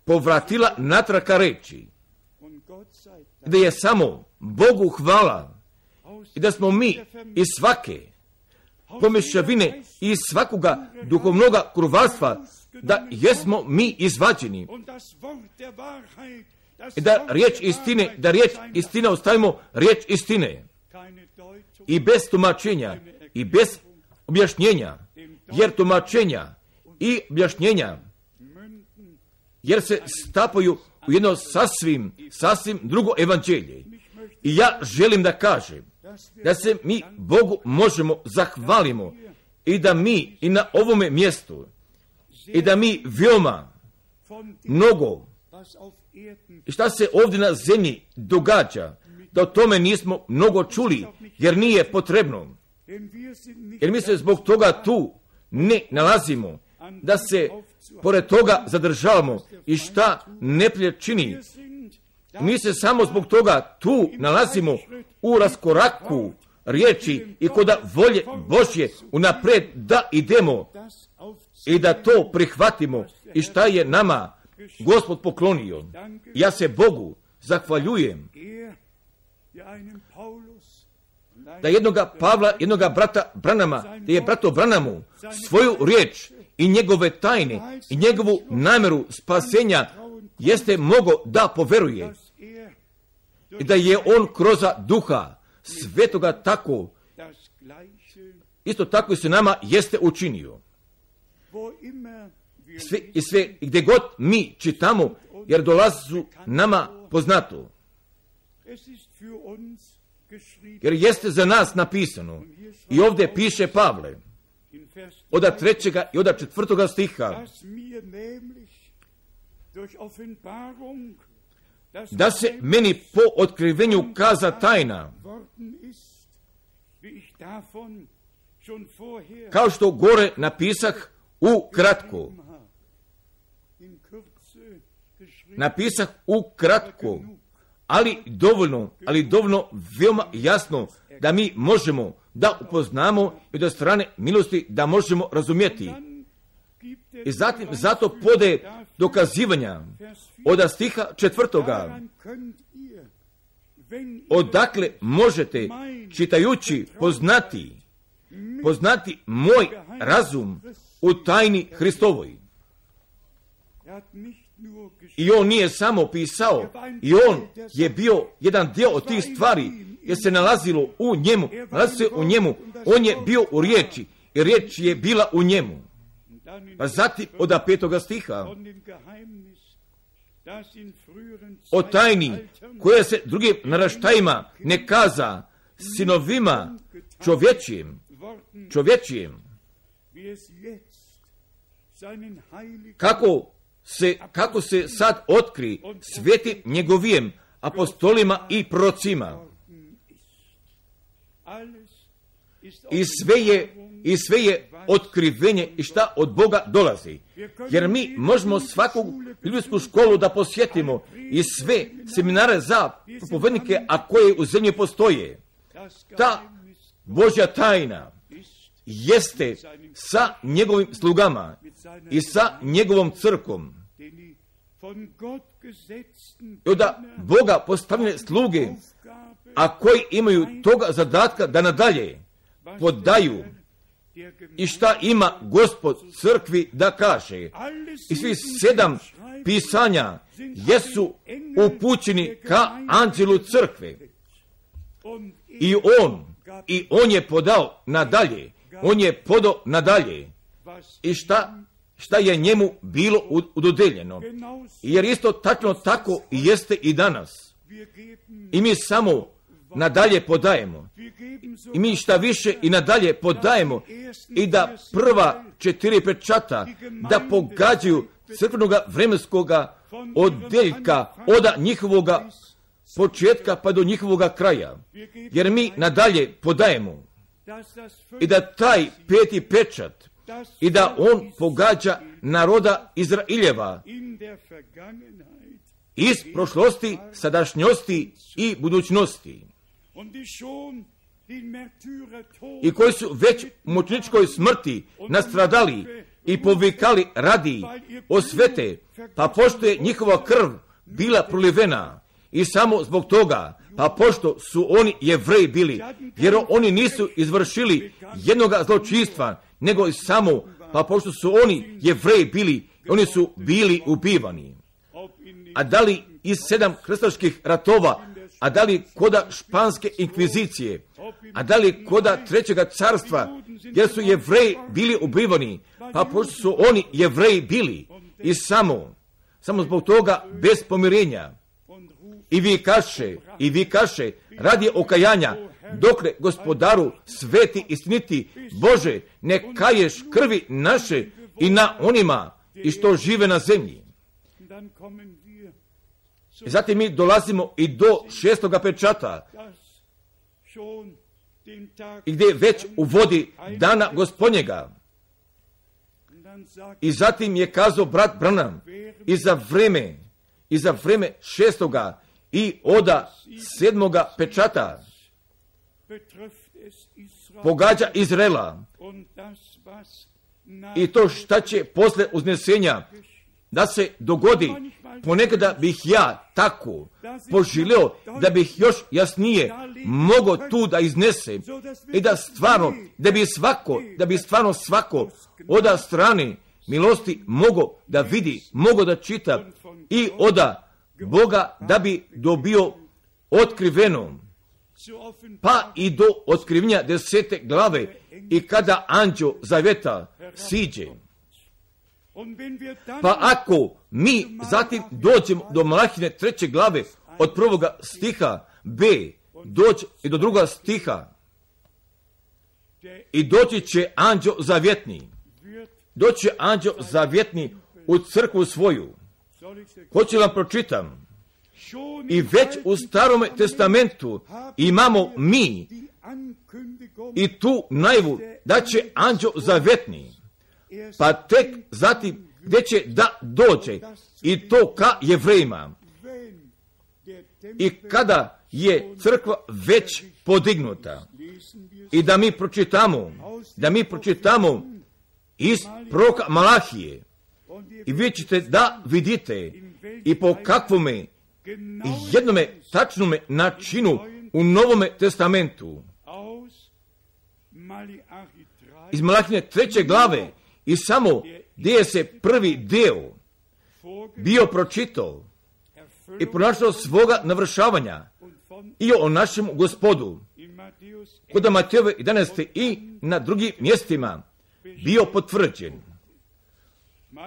povratila natrag ka riječi, da je samo Bogu hvala, i da smo mi iz svake pomješavine i iz svakoga duhovnoga krvarstva, da jesmo mi izvađeni, i da riječ istine ostavimo riječ istine, i bez tumačenja i bez objašnjenja, jer tumačenja i objašnjenja, jer se stapaju u jedno sasvim drugo evanđelje. I ja želim da kažem da se mi Bogu možemo zahvalimo, i da mi i na ovome mjestu, i da mi veoma mnogo šta se ovdje na zemlji događa, da o tome nismo mnogo čuli, jer nije potrebno. Jer mi se zbog toga tu ne nalazimo, da se pored toga zadržavamo i šta neprijatelj čini. Mi se samo zbog toga tu nalazimo u raskoraku riječi i kod volje Božje unaprijed da idemo i da to prihvatimo i šta je nama Gospod poklonio. Ja se Bogu zahvaljujem da jednoga Pavla, jednoga brata Branama, da je brato Branamu svoju riječ i njegove tajne i njegovu namjeru spasenja jeste mogo da poveruje i da je on kroz duha svetoga tako, isto tako i se nama jeste učinio. Sve gdje god mi čitamo, jer dolazu nama poznato. Jer jeste za nas napisano. I ovdje piše Pavle, od 3. i od 4. stiha, da se meni po otkrivenju kaza tajna, kao što gore napisah ukratko. Napisah ukratko, ali dovoljno veoma jasno da mi možemo da upoznamo i od strane milosti da možemo razumjeti. I zatim zato pode dokazivanja od stiha 4. Odakle možete čitajući poznati moj razum u tajni Hristovoj. I on nije samo pisao, i on je bio jedan dio od tih stvari, jer se nalazilo u njemu, on je bio u riječi, i riječ je bila u njemu. Pa zatim od 5. stiha, o tajni koja se drugim naraštajima ne kaza, sinovima čovječijim, kako se sad otkri svetim njegovijem apostolima i prorocima. i sve je otkrivenje i šta od Boga dolazi. Jer mi možemo svaku biblijsku školu da posjetimo i sve seminare za propovednike, a koje u zemlji postoje. Ta Božja tajna jeste sa njegovim slugama i sa njegovom crkvom. I da Boga postavljene sluge, a koji imaju toga zadatka da nadalje podaju i šta ima Gospod crkvi da kaže. I svi 7 pisanja jesu upućeni ka anđelu crkve. I on je podao nadalje. On je podao nadalje. I šta je njemu bilo udodeljeno. Jer isto tačno tako jeste i danas. I mi samo nadalje podajemo. I mi šta više i nadalje podajemo. I da prva 4 pečata da pogađaju crkvenoga vremenskoga odjeljka od njihovoga početka pa do njihovoga kraja. Jer mi nadalje podajemo. I da taj 5. pečat i da on pogađa naroda Izraeljeva iz prošlosti, sadašnjosti i budućnosti. I koji su već u mučeničkoj smrti nastradali i povikali radi osvete, pa pošto je njihova krv bila prolivena i samo zbog toga, pa pošto su oni Jevreji bili, jer oni nisu izvršili jednoga zločinstva, nego i samo, pa pošto su oni Jevreji bili, oni su bili ubivani. A da li iz 7 krstaških ratova, a da li koda španske inkvizicije, a da li koda 3. carstva, jer su Jevreji bili ubivani, pa pošto su oni Jevreji bili, i samo zbog toga bez pomirenja. I vi kaše, radi okajanja, dokle Gospodaru sveti istiniti, Bože, ne kaješ krvi naše i na onima i što žive na zemlji. I zatim mi dolazimo i do 6. pečata, i gdje već uvodi dana Gospodnjega. I zatim je kazao brat Branham i za vreme 6. i od 7. pečata pogađa Izraela. I to šta će posle uznesenja da se dogodi, ponekada bih ja tako poželio da bih još jasnije mogao tu da iznesem i da stvarno, da bi stvarno svako od strane milosti mogao da vidi, mogao da čita i od Boga da bi dobio otkriveno, pa i do otkrivenja 10. glave i kada anđeo zaveta siđe. Pa ako mi zatim dođemo do Malahine 3. glave od 1. stiha B, doći i do 2. stiha, i doći će anđeo zavjetni u crkvu svoju. Hoću vam pročitam. I već u Starome testamentu imamo mi i tu najavu da će anđeo zavjetni, pa tek zatim gdje će da dođe i to ka Jevrejima. I kada je crkva već podignuta i da mi pročitamo iz proroka Malahije, i vi ćete da vidite i po kakvome jednome tačnome načinu u Novome testamentu. Iz Malahine 3. glave i samo gdje je se prvi deo bio pročitao i pronašao svoga navršavanja i o našem Gospodu kod Matejove 11. i na drugim mjestima bio potvrđen.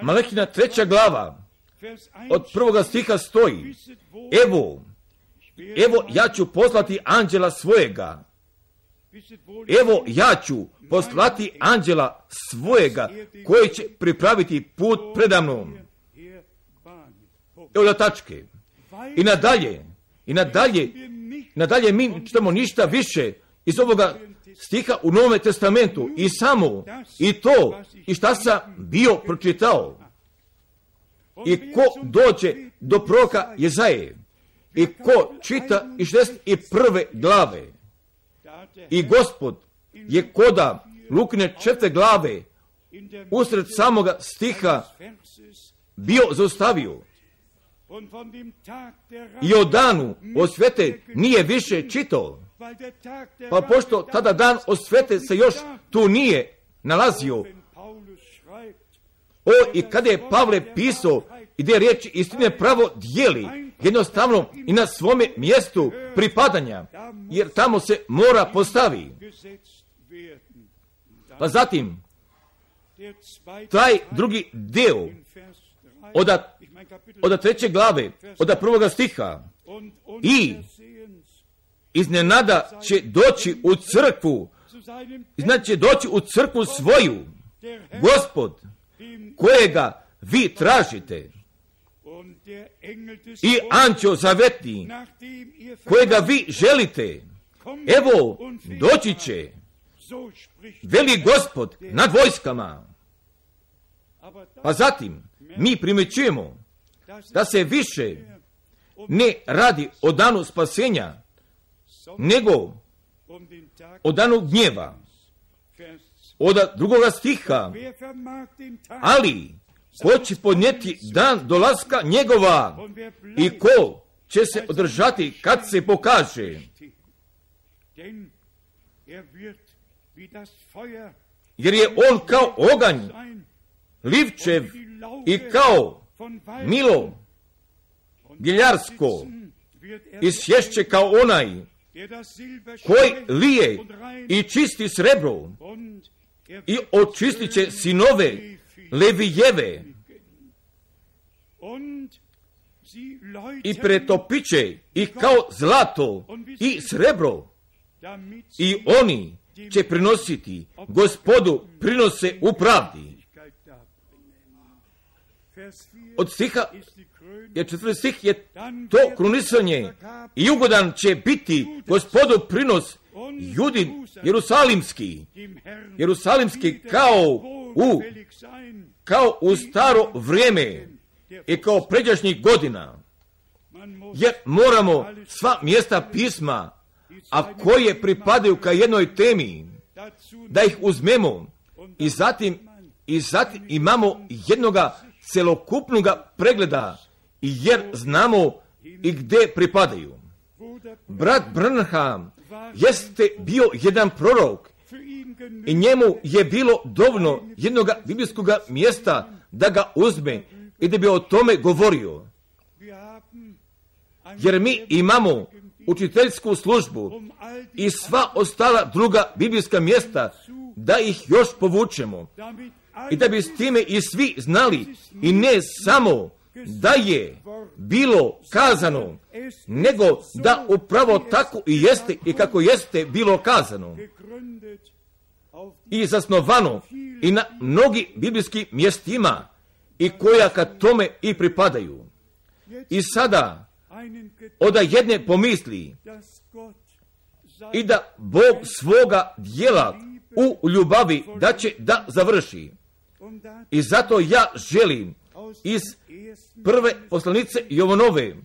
Malahina 3. glava od 1. stiha stoji: Evo ja ću poslati anđela svojega. Evo ja ću poslati anđela svojega koji će pripraviti put predamnom. Evo da tačke. I nadalje mi čitamo ništa više iz ovoga stiha u Novome testamentu i samo i to i šta sam bio pročitao. I ko dođe do proroka Jezaje i ko čita iz 61. glave i Gospod je koda Lukine 4. glave usred samoga stiha bio zaustavio i o danu osvete nije više čitao, pa pošto tada dan osvete se još tu nije nalazio. I kada je Pavle pisao i gdje riječ istine pravo dijeli, jednostavno i na svome mjestu pripadanja, jer tamo se mora postavi. Pa zatim, taj drugi deo od 3. glave, od 1. stiha, i iznenada će doći u crkvu, znači će doći u crkvu svoju, Gospod, kojega vi tražite, i anđeo zavetni, kojega vi želite, evo, doći će, veli Gospod nad vojskama. Pa zatim, mi primjećujemo da se više ne radi o danu spasenja, nego o danu gnjeva. Od 2. stiha, ali ko će podnijeti dan dolaska njegova i ko će se održati kad se pokaže, jer je on kao oganj livčev i kao milo giljarsko i sješće kao onaj koji lije i čisti srebro i očistit će sinove Levijeve i pretopit će ih kao zlato i srebro, i oni će prinositi Gospodu prinose u pravdi. Od stiha je 4. stih je to krunisanje, i ugodan će biti Gospodu prinos Judin Jerusalimski kao u staro vrijeme i kao pređašnjih godina, jer moramo sva mjesta pisma, a koje pripadaju ka jednoj temi, da ih uzmemo i zatim imamo jednoga celokupnoga pregleda, jer znamo i gdje pripadaju. Brat Branham jeste bio jedan prorok i njemu je bilo dovoljno jednog biblijskog mjesta da ga uzme i da bi o tome govorio. Jer mi imamo učiteljsku službu i sva ostala druga biblijska mjesta da ih još povučemo i da bi s time i svi znali, i ne samo da je bilo kazano, nego da upravo tako i jeste i kako jeste bilo kazano i zasnovano i na mnogi biblijskim mjestima i koja ka tome i pripadaju. I sada oda jedne pomisli i da Bog svoga dijela u ljubavi da će da završi. I zato ja želim iz prve poslanice Jovanove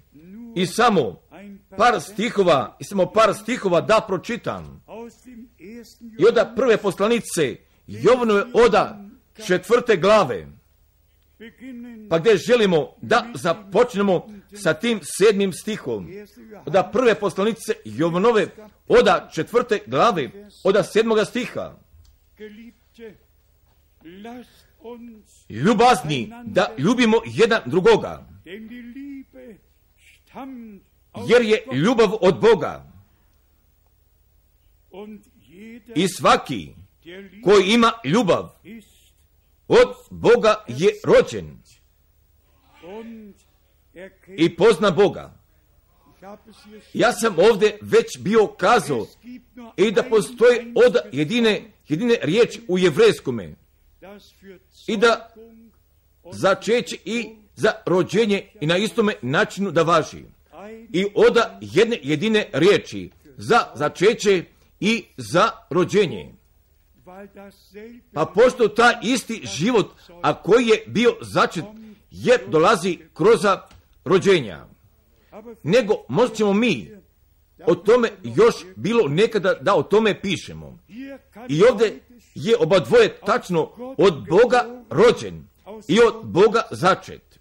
i samo par stihova da pročitam. I od prve poslanice Jovanove oda 4. glave, pa gdje želimo da započnemo sa tim 7. stihom. Od prve poslanice Jovanove oda 4. glave, od 7. stiha. Ljubazni, da ljubimo jedan drugoga, jer je ljubav od Boga. I svaki koji ima ljubav od Boga je rođen i pozna Boga. Ja sam ovdje već bio kazao i da postoji od jedine riječi u jevrejskome, i da začeće i za rođenje i na istome načinu da važi. I od jedine riječi za začeće i za rođenje. Pa pošto taj isti život, a koji je bio začet, jer dolazi kroz rođenja. Nego možda ćemo mi o tome još bilo nekada da o tome pišemo. I ovdje je oba dvoje tačno od Boga rođen i od Boga začet.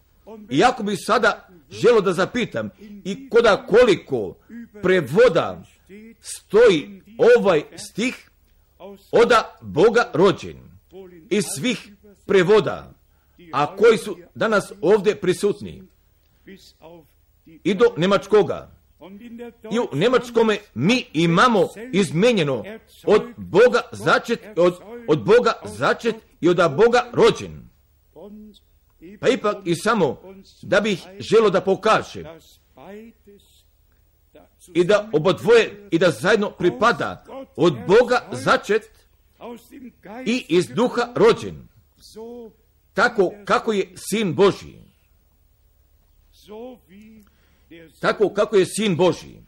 I ako bi sada želio da zapitam i koliko prevoda stoji ovaj stih od Boga rođen iz svih prevoda, a koji su danas ovdje prisutni, i do njemačkoga. I u njemačkome mi imamo izmenjeno od Boga začet, od Boga začet i od Boga rođen. Pa ipak i samo da bih želio da pokaže i da obodvoje i da zajedno pripada od Boga začet i iz duha rođen, tako kako je Sin Božji. Tako kako je Sin Božji.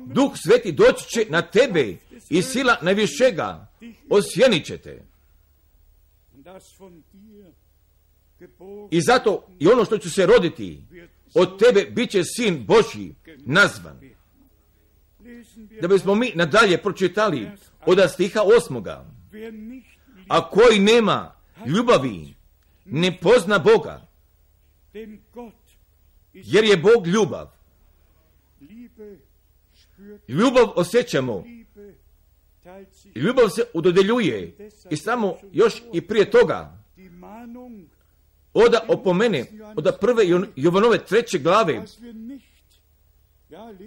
Duh Sveti doći će na tebe i sila najvišega osjenit će te. I zato i ono što će se roditi od tebe bit će Sin Božji nazvan. Da bismo mi nadalje pročitali od stiha 8. A koji nema ljubavi ne pozna Boga, jer je Bog ljubav. Ljubav osjećamo, ljubav se udodeljuje i samo još i prije toga od opomene od prve Jovanove 3. glave,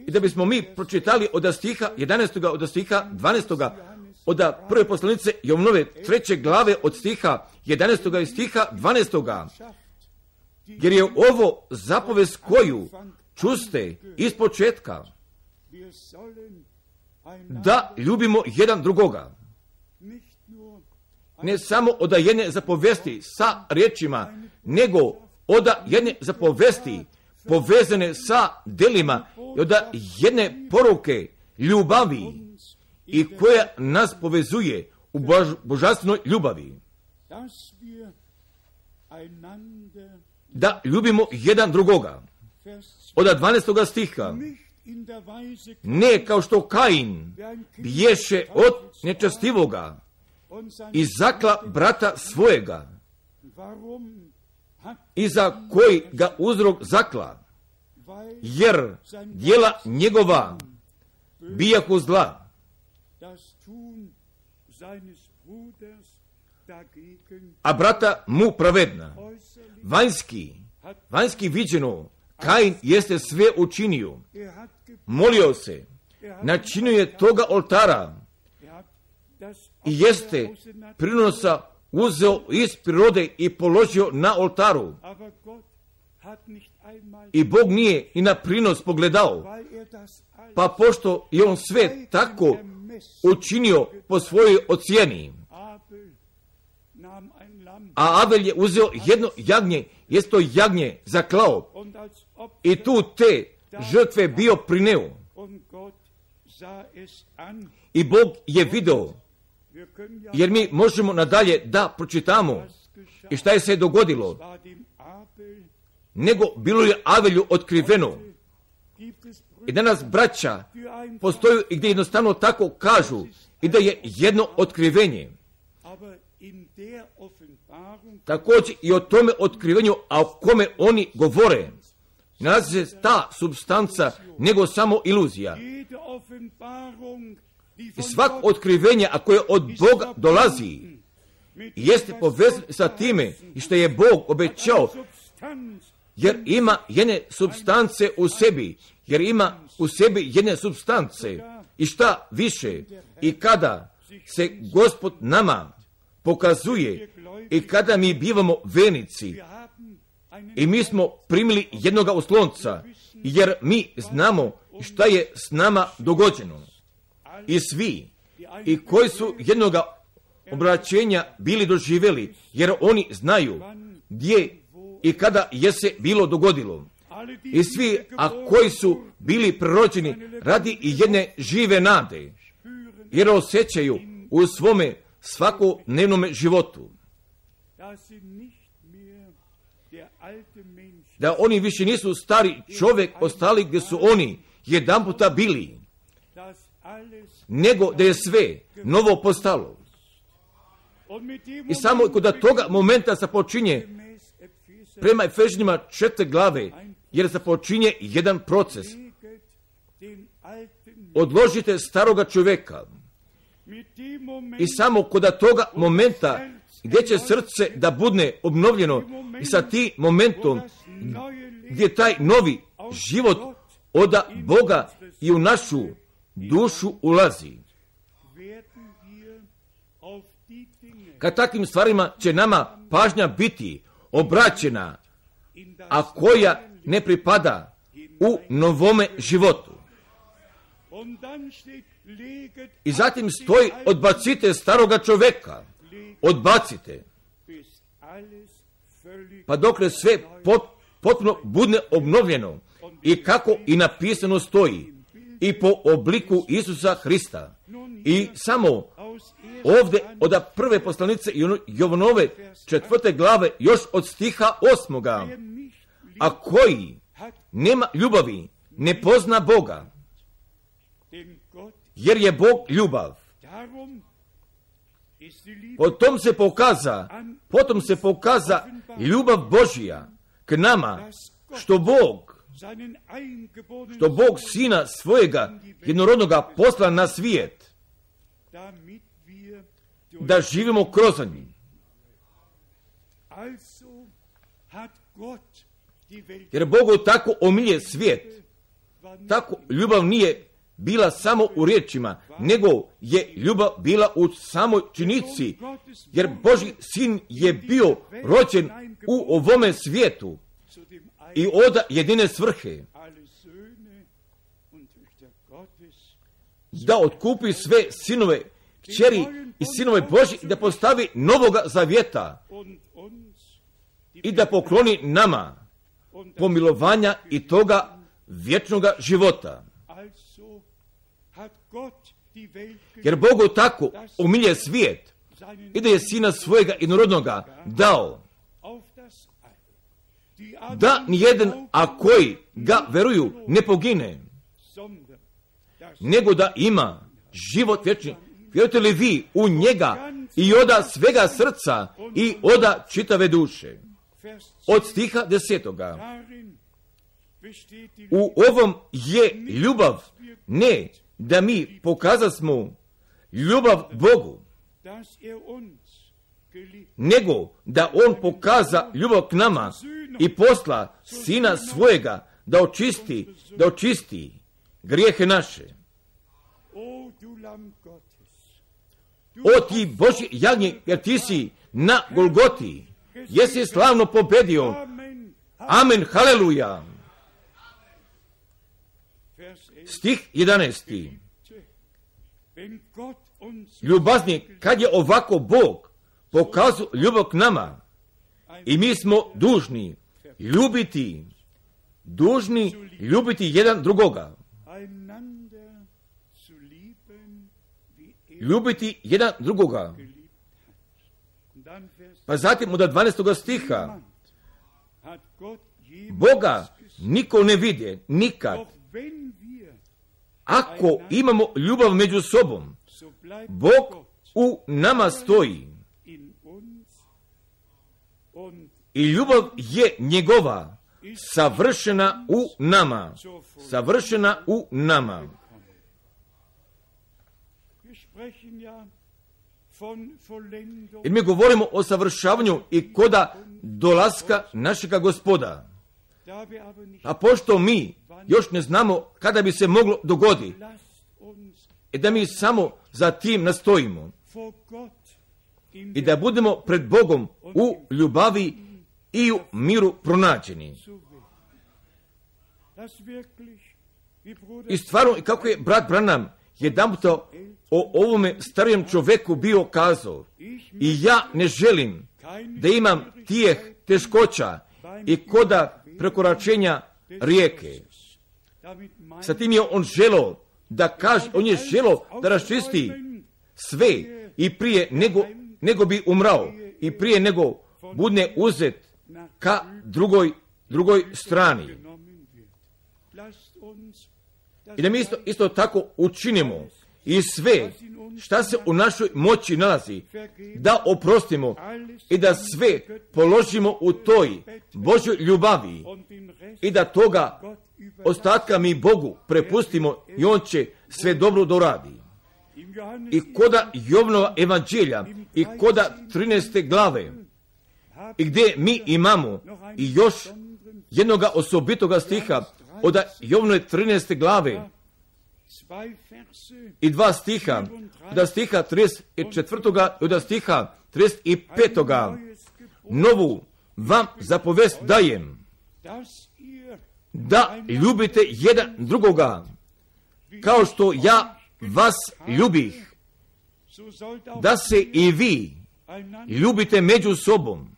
i da bismo mi pročitali od stiha 11. od stiha 12. od prve poslanice Jovanove 3. glave od stiha 11. i stiha 12. Jer je ovo zapovest koju čuste iz početka, da ljubimo jedan drugoga. Ne samo od jedne zapovesti sa riječima, nego od jedne zapovesti povezane sa delima i od jedne poruke ljubavi i koja nas povezuje u božanstvenoj ljubavi. Da ljubimo jedan drugoga. Od 12. stiha. Ne kao što Kain bješe od nečastivoga i zakla brata svojega, i za koji ga uzrok zakla, jer djela njegova bijahu zla. A brata mu pravedna. Vanjski viđeno, Kain jeste sve učinio. Molio se, načinio je toga oltara i jeste prinosa uzeo iz prirode i položio na oltaru. I Bog nije i na prinos pogledao, pa pošto je on sve tako učinio po svojoj ocjeni. A Abel je uzeo jedno jagnje, jest to jagnje zaklao i tu te žrtve bio prineo. I Bog je video, jer mi možemo nadalje da pročitamo i šta je se dogodilo. Nego bilo je Avelju otkriveno. I danas braća postoju i gdje jednostavno tako kažu i da je jedno otkrivenje. Također i o tome otkrivenju, a o kome oni govore, nalazi se ta substanca nego samo iluzija. I svako otkrivenje, a koje od Boga dolazi, jeste povezan sa time i što je Bog obećao, jer ima jedne substance u sebi, jer ima u sebi jedne substance. I šta više, i kada se Gospod nama pokazuje i kada mi bivamo vernici i mi smo primili jednoga oslonca, jer mi znamo šta je s nama dogođeno. I svi, i koji su jednoga obraćenja bili doživjeli, jer oni znaju gdje i kada je se bilo dogodilo. i svi, a koji su bili prerođeni radi i jedne žive nade, jer osjećaju u svome svakodnevnome životu da oni više nisu stari čovjek ostali gdje su oni jedanputa bili, nego da je sve novo postalo. I samo kod toga momenta se počinje prema Efežanima 4 glave, jer se počinje jedan proces. Odložite staroga čovjeka. I samo kod toga momenta gdje će srce da bude obnovljeno i sa tim momentom gdje taj novi život od Boga i u našu dušu ulazi. Kad takvim stvarima će nama pažnja biti obraćena, a koja ne pripada u novome životu. I zatim stoji: odbacite staroga čovjeka, odbacite, pa dokle sve potpuno bude obnovljeno i kako i napisano stoji, i po obliku Isusa Hrista. I samo ovdje od prve poslanice Jovanove 4. glave, još od stiha 8. A koji nema ljubavi, ne pozna Boga, jer je Bog ljubav. Potom se pokaza ljubav Božija k nama, što Bog Sina svojega jednorodnoga posla na svijet, da živimo kroz njih. Jer Bogu tako omilje svijet, tako ljubav nije bila samo u riječima, nego je ljubav bila u samoj činjenici, jer Božji Sin je bio rođen u ovome svijetu i od jedine svrhe, da otkupi sve sinove, kćeri i sinove Božji, da postavi novoga zavjeta i da pokloni nama pomilovanja i toga vječnoga života. Jer Bogu tako umilje svijet i da je Sina svojega jednorodnoga dao, da nijedan, a koji ga veruju, ne pogine, nego da ima život vječni. Vjerujete li vi u njega i oda svega srca i oda čitave duše? Od stiha 10. U ovom je ljubav, ne da mi pokazasmo ljubav Bogu, nego da On pokaza ljubav k nama i posla Sina svojega da očisti grijehe naše. O ti Božji jagnje, jer ti si na Golgoti, jesi slavno pobedio. Amen, haleluja. Stih 11. Ljubazni, kad je ovako Bog pokazao ljubav k nama, i mi smo dužni ljubiti jedan drugoga. Ljubiti jedan drugoga. Pa zatim od 12. stiha: Boga niko ne vide nikad. Ako imamo ljubav među sobom, Bog u nama stoji i ljubav je njegova savršena u nama. Jer mi govorimo o savršavanju i koda dolaska našega Gospoda. A pošto mi još ne znamo kada bi se moglo dogoditi, da mi samo za tim nastojimo i da budemo pred Bogom u ljubavi i u miru pronađeni. I stvarno, kako je brat Branham jedanput o ovome starijem čovjeku bio kazao: i ja ne želim da imam tijeh teškoća i koda prekoračenja rijeke. Sa tim je on želo da kaže, on je želo da raščisti sve i prije nego bi umrao i prije nego bude uzet ka drugoj strani. I da mi isto tako učinimo i sve šta se u našoj moći nalazi, da oprostimo i da sve položimo u toj Božoj ljubavi i da toga ostatka mi Bogu prepustimo i on će sve dobro doradi. I koda Jovanova evanđelja i koda 13. glave i gdje mi imamo i još jednoga osobitoga stiha od Jovanove 13. glave i 2 stiha, od stiha 34. i od stiha 35. Novu vam zapovest dajem, da ljubite jedan drugoga, kao što ja vas ljubih, da se i vi ljubite među sobom.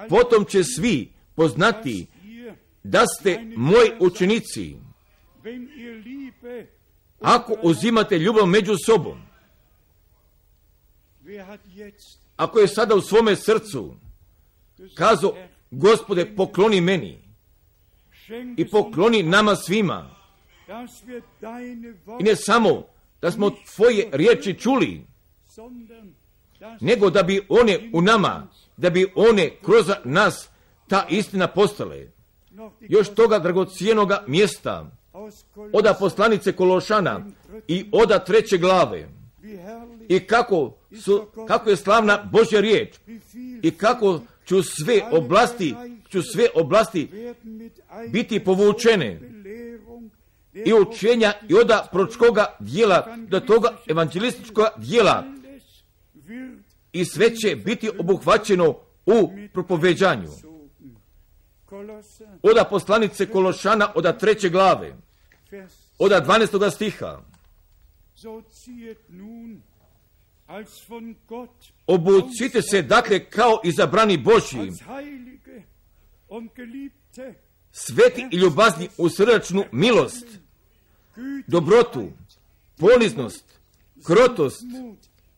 Potom će svi poznati da ste moji učenici, ako uzimate ljubav među sobom. Ako je sada u svome srcu kazao, Gospode, pokloni meni i pokloni nama svima, i ne samo da smo tvoje riječi čuli, nego da bi one u nama, da bi one kroz nas ta istina postale. Još toga dragocjenoga mjesta od poslanice Kološana i od 3. glave i kako je slavna Božja riječ i kako ću sve oblasti biti povučene i učenja i od proročkoga dijela do toga evanđelističkoga dijela i sve će biti obuhvaćeno u propoveđanju. Od poslanice Kološana od 3. glave od 12. stiha. Obucite se dakle kao izabrani Božji, sveti i ljubazni u srdačnu milost, dobrotu, poniznost, krotost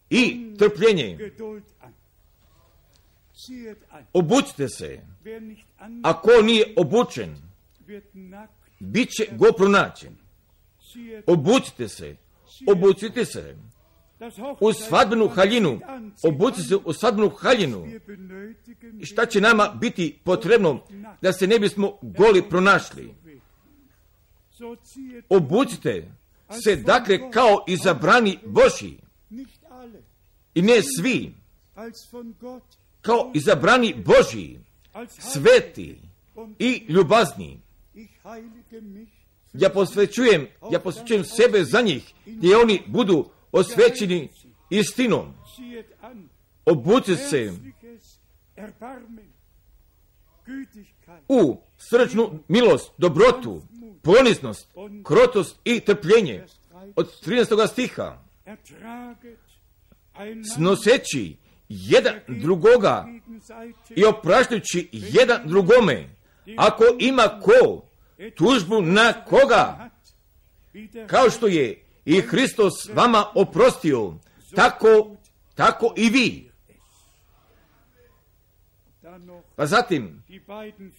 i trpljenje. Obucite se. Ako nije obučen, bit će go pronađen. Obucite se. U svadbenu haljinu. Obucite se u svadbenu haljinu. Šta će nama biti potrebno da se ne bismo goli pronašli? Obucite se dakle kao izabrani Božji. I ne svi. Kao izabrani Božji, sveti i ljubazni. Ja posvećujem sebe za njih, gdje oni budu osvećeni istinom. Obucite se u srdačnu milost, dobrotu, poniznost, krotost i trpljenje. Od 13. stiha. Snoseći jedan drugoga i opraštajući jedan drugome, ako ima ko tužbu na koga, kao što je i Hristos vama oprostio, tako i vi. Pa zatim,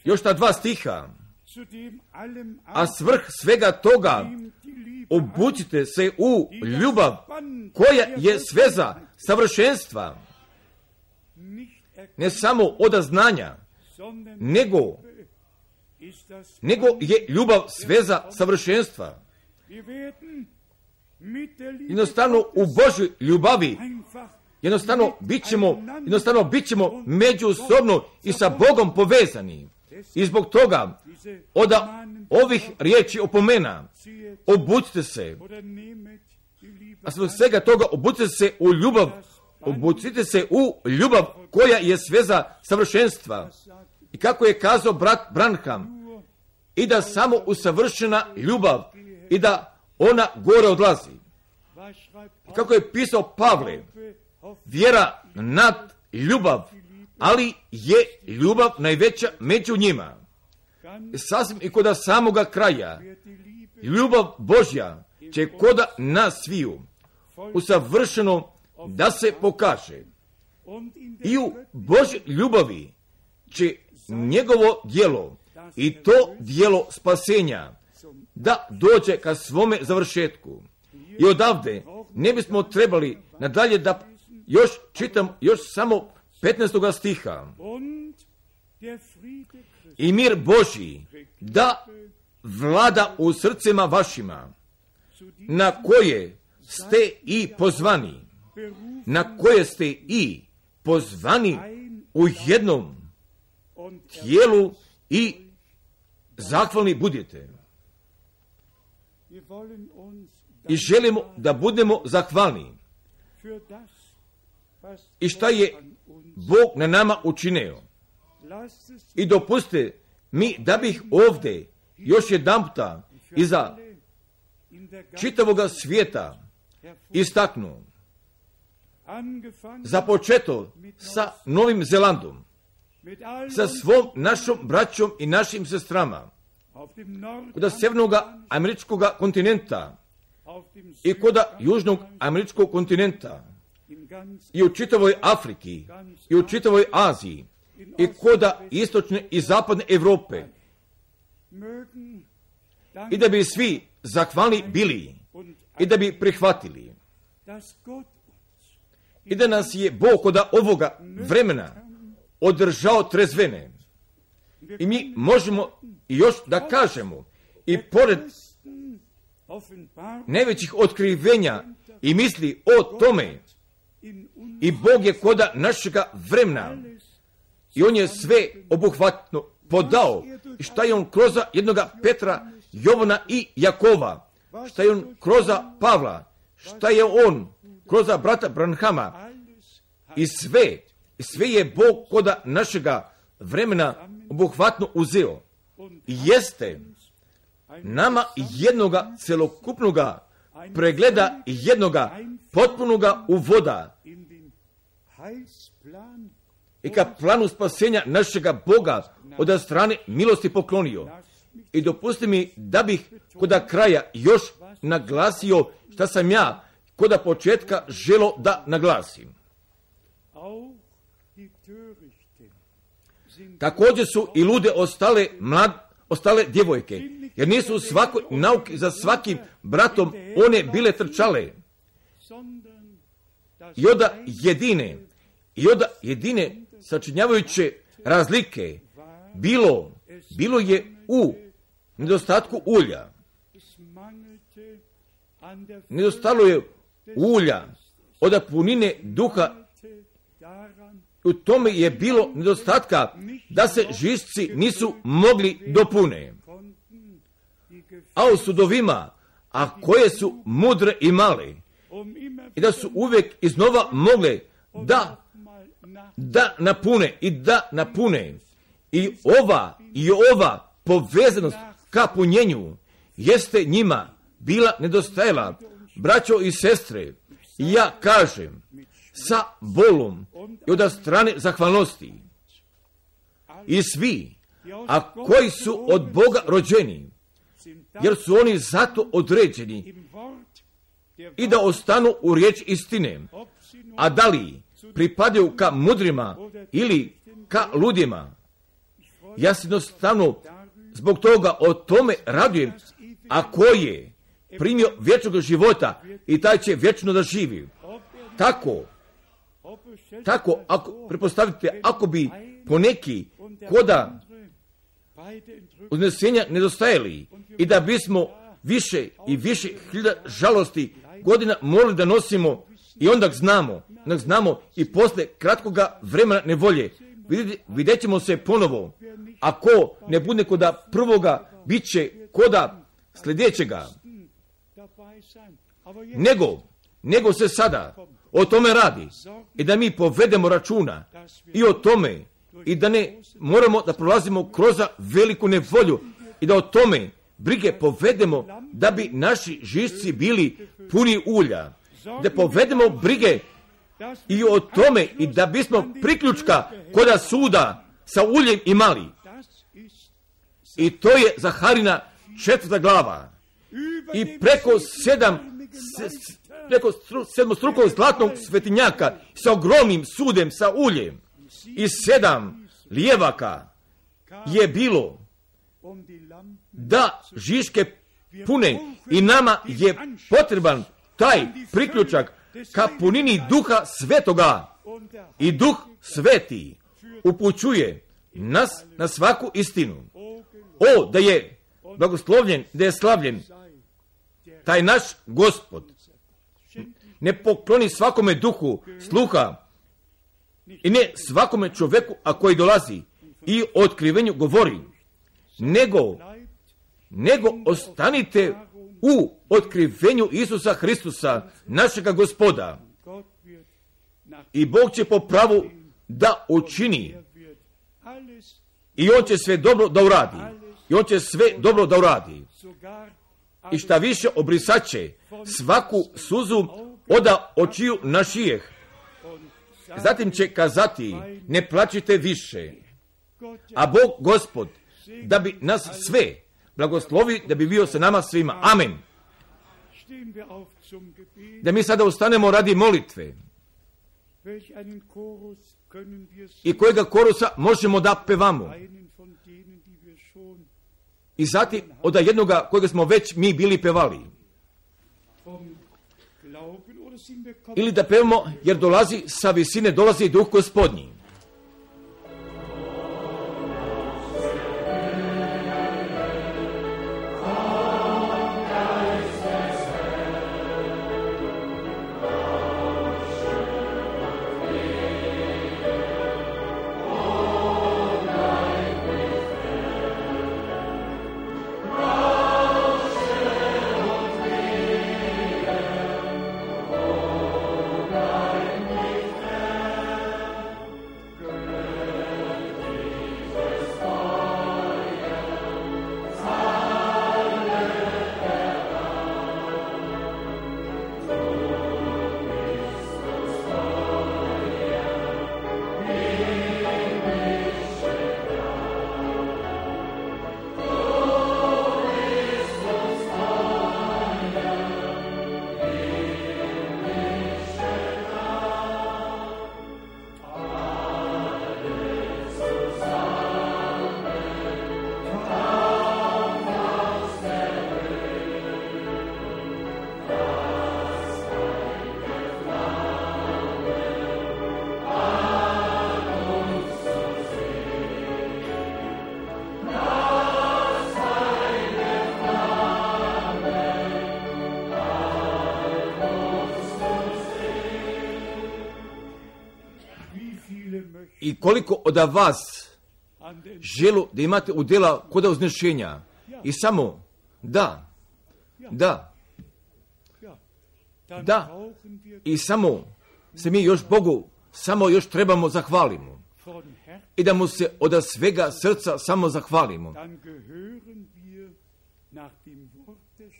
još ta 2 stiha, a svrh svega toga, obucite se u ljubav, koja je sveza savršenstva, ne samo od znanja, nego je ljubav sveza savršenstva. Jednostavno u Božoj ljubavi jednostavno bit ćemo međusobno i sa Bogom povezani. I zbog toga od ovih riječi opomena, obucite se, a zbog svega toga obucite se u ljubav koja je sveza savršenstva. I kako je kazao brat Branham, i da samo usavršena ljubav i da ona gore odlazi. I kako je pisao Pavle, vjera nad ljubav, ali je ljubav najveća među njima. sasvim i koda samoga kraja, ljubav Božja će koda nas sviju usavršeno da se pokaže. I u Božoj ljubavi će njegovo djelo i to djelo spasenja da dođe ka svome završetku. I odavde ne bismo trebali nadalje da još čitam još samo 15. stiha. I mir Božji da vlada u srcima vašima, na koje ste i pozvani, na koje ste i pozvani u jednom tijelu i zahvalni budete. I želimo da budemo zahvalni. I šta je Bog na nama učinio. I dopustite mi da bih ovdje još jedanputa iza čitavoga svijeta istaknuo. Započeto sa Novim Zelandom, sa svom našom braćom i našim sestrama, kod sjevernog američkog kontinenta i kod južnog američkog kontinenta, i u čitavoj Afriki, i u čitavoj Aziji, i kod istočne i zapadne Europe. I da bi svi zahvalni bili i da bi prihvatili. I da nas je Bog kod ovoga vremena održao trezvene. I mi možemo još da kažemo, i pored najvećih otkrivenja i misli o tome, i Bog je kod našega vremena i on je sve obuhvatno podao. I šta je on kroz jednoga Petra, Jovana i Jakova, šta je on kroz Pavla, šta je on kroz brata Branhama, i sve je Bog kod našega vremena obuhvatno uzeo. Jeste nama jednoga celokupnoga pregleda i jednoga potpunoga uvoda i ka planu spasenja našega Boga od strane milosti poklonio. I dopusti mi da bih kod kraja još naglasio šta sam ja kod početka želo da naglasim. Također su i lude ostale djevojke, jer nisu u svakoj nauki za svakim bratom one bile trčale. I od jedine sačinjavajuće razlike bilo je u nedostatku ulja. Nedostalo je ulja od punine duha. U tome je bilo nedostatka da se žišci nisu mogli dopune. A u sudovima, a koje su mudre i male, i da su uvijek iznova mogle da napune. I ova povezanost ka punjenju jeste njima bila nedostajala. Braćo i sestre, ja kažem sa bolom i od strane zahvalnosti. I svi, a koji su od Boga rođeni, jer su oni zato određeni i da ostanu u riječ istine, a da li pripadaju ka mudrima ili ka ludima, ja se jednostavno zbog toga o tome radujem, a ko je primio vječnog života i taj će vječno da živi. Tako, ako pretpostavite, ako bi poneki koda uznesenja nedostajali i da bismo više i više hiljada žalosti godina morali da nosimo i onda znamo i posle kratkoga vremena nevolje, vidjet ćemo se ponovo. Ako ne bude koda prvoga, bit će koda sljedećega. Nego se sada o tome radi i da mi povedemo računa i o tome i da ne moramo da prolazimo kroz veliku nevolju i da o tome brige povedemo da bi naši žišci bili puni ulja, da povedemo brige i o tome i da bismo priključka koda suda sa uljem imali. I to je Zaharina 4. glava. I preko sedmostrukog zlatnog svetinjaka sa ogromnim sudem, sa uljem i 7 lijevaka je bilo da žiške pune i nama je potreban taj priključak ka punini Duha Svetoga i Duh Sveti upućuje nas na svaku istinu. O, da je blagoslovljen, da je slavljen taj naš Gospod. Ne pokloni svakome duhu sluha i ne svakome čovjeku, a koji dolazi i o otkrivenju govori, nego ostanite u otkrivenju Isusa Hristusa, našega Gospoda. I Bog će po pravu da učini. I On će sve dobro da uradi. I On će sve dobro da uradi. I šta više, obrisaće svaku suzu oda očiju našijeh. Zatim će kazati, ne plačite više. A Bog, Gospod, da bi nas sve blagoslovi, da bi bio sa nama svima. Amen. Da mi sada ustanemo radi molitve. I kojega korusa možemo da pevamo. I zatim od jednoga kojega smo već mi bili pevali. Ili da pevamo jer dolazi sa visine, dolazi Duh Gospodnji. I koliko od vas želu da imate udjela kod uznešenja. I samo da. I samo se mi još Bogu samo još trebamo zahvalimo. I da mu se od svega srca samo zahvalimo.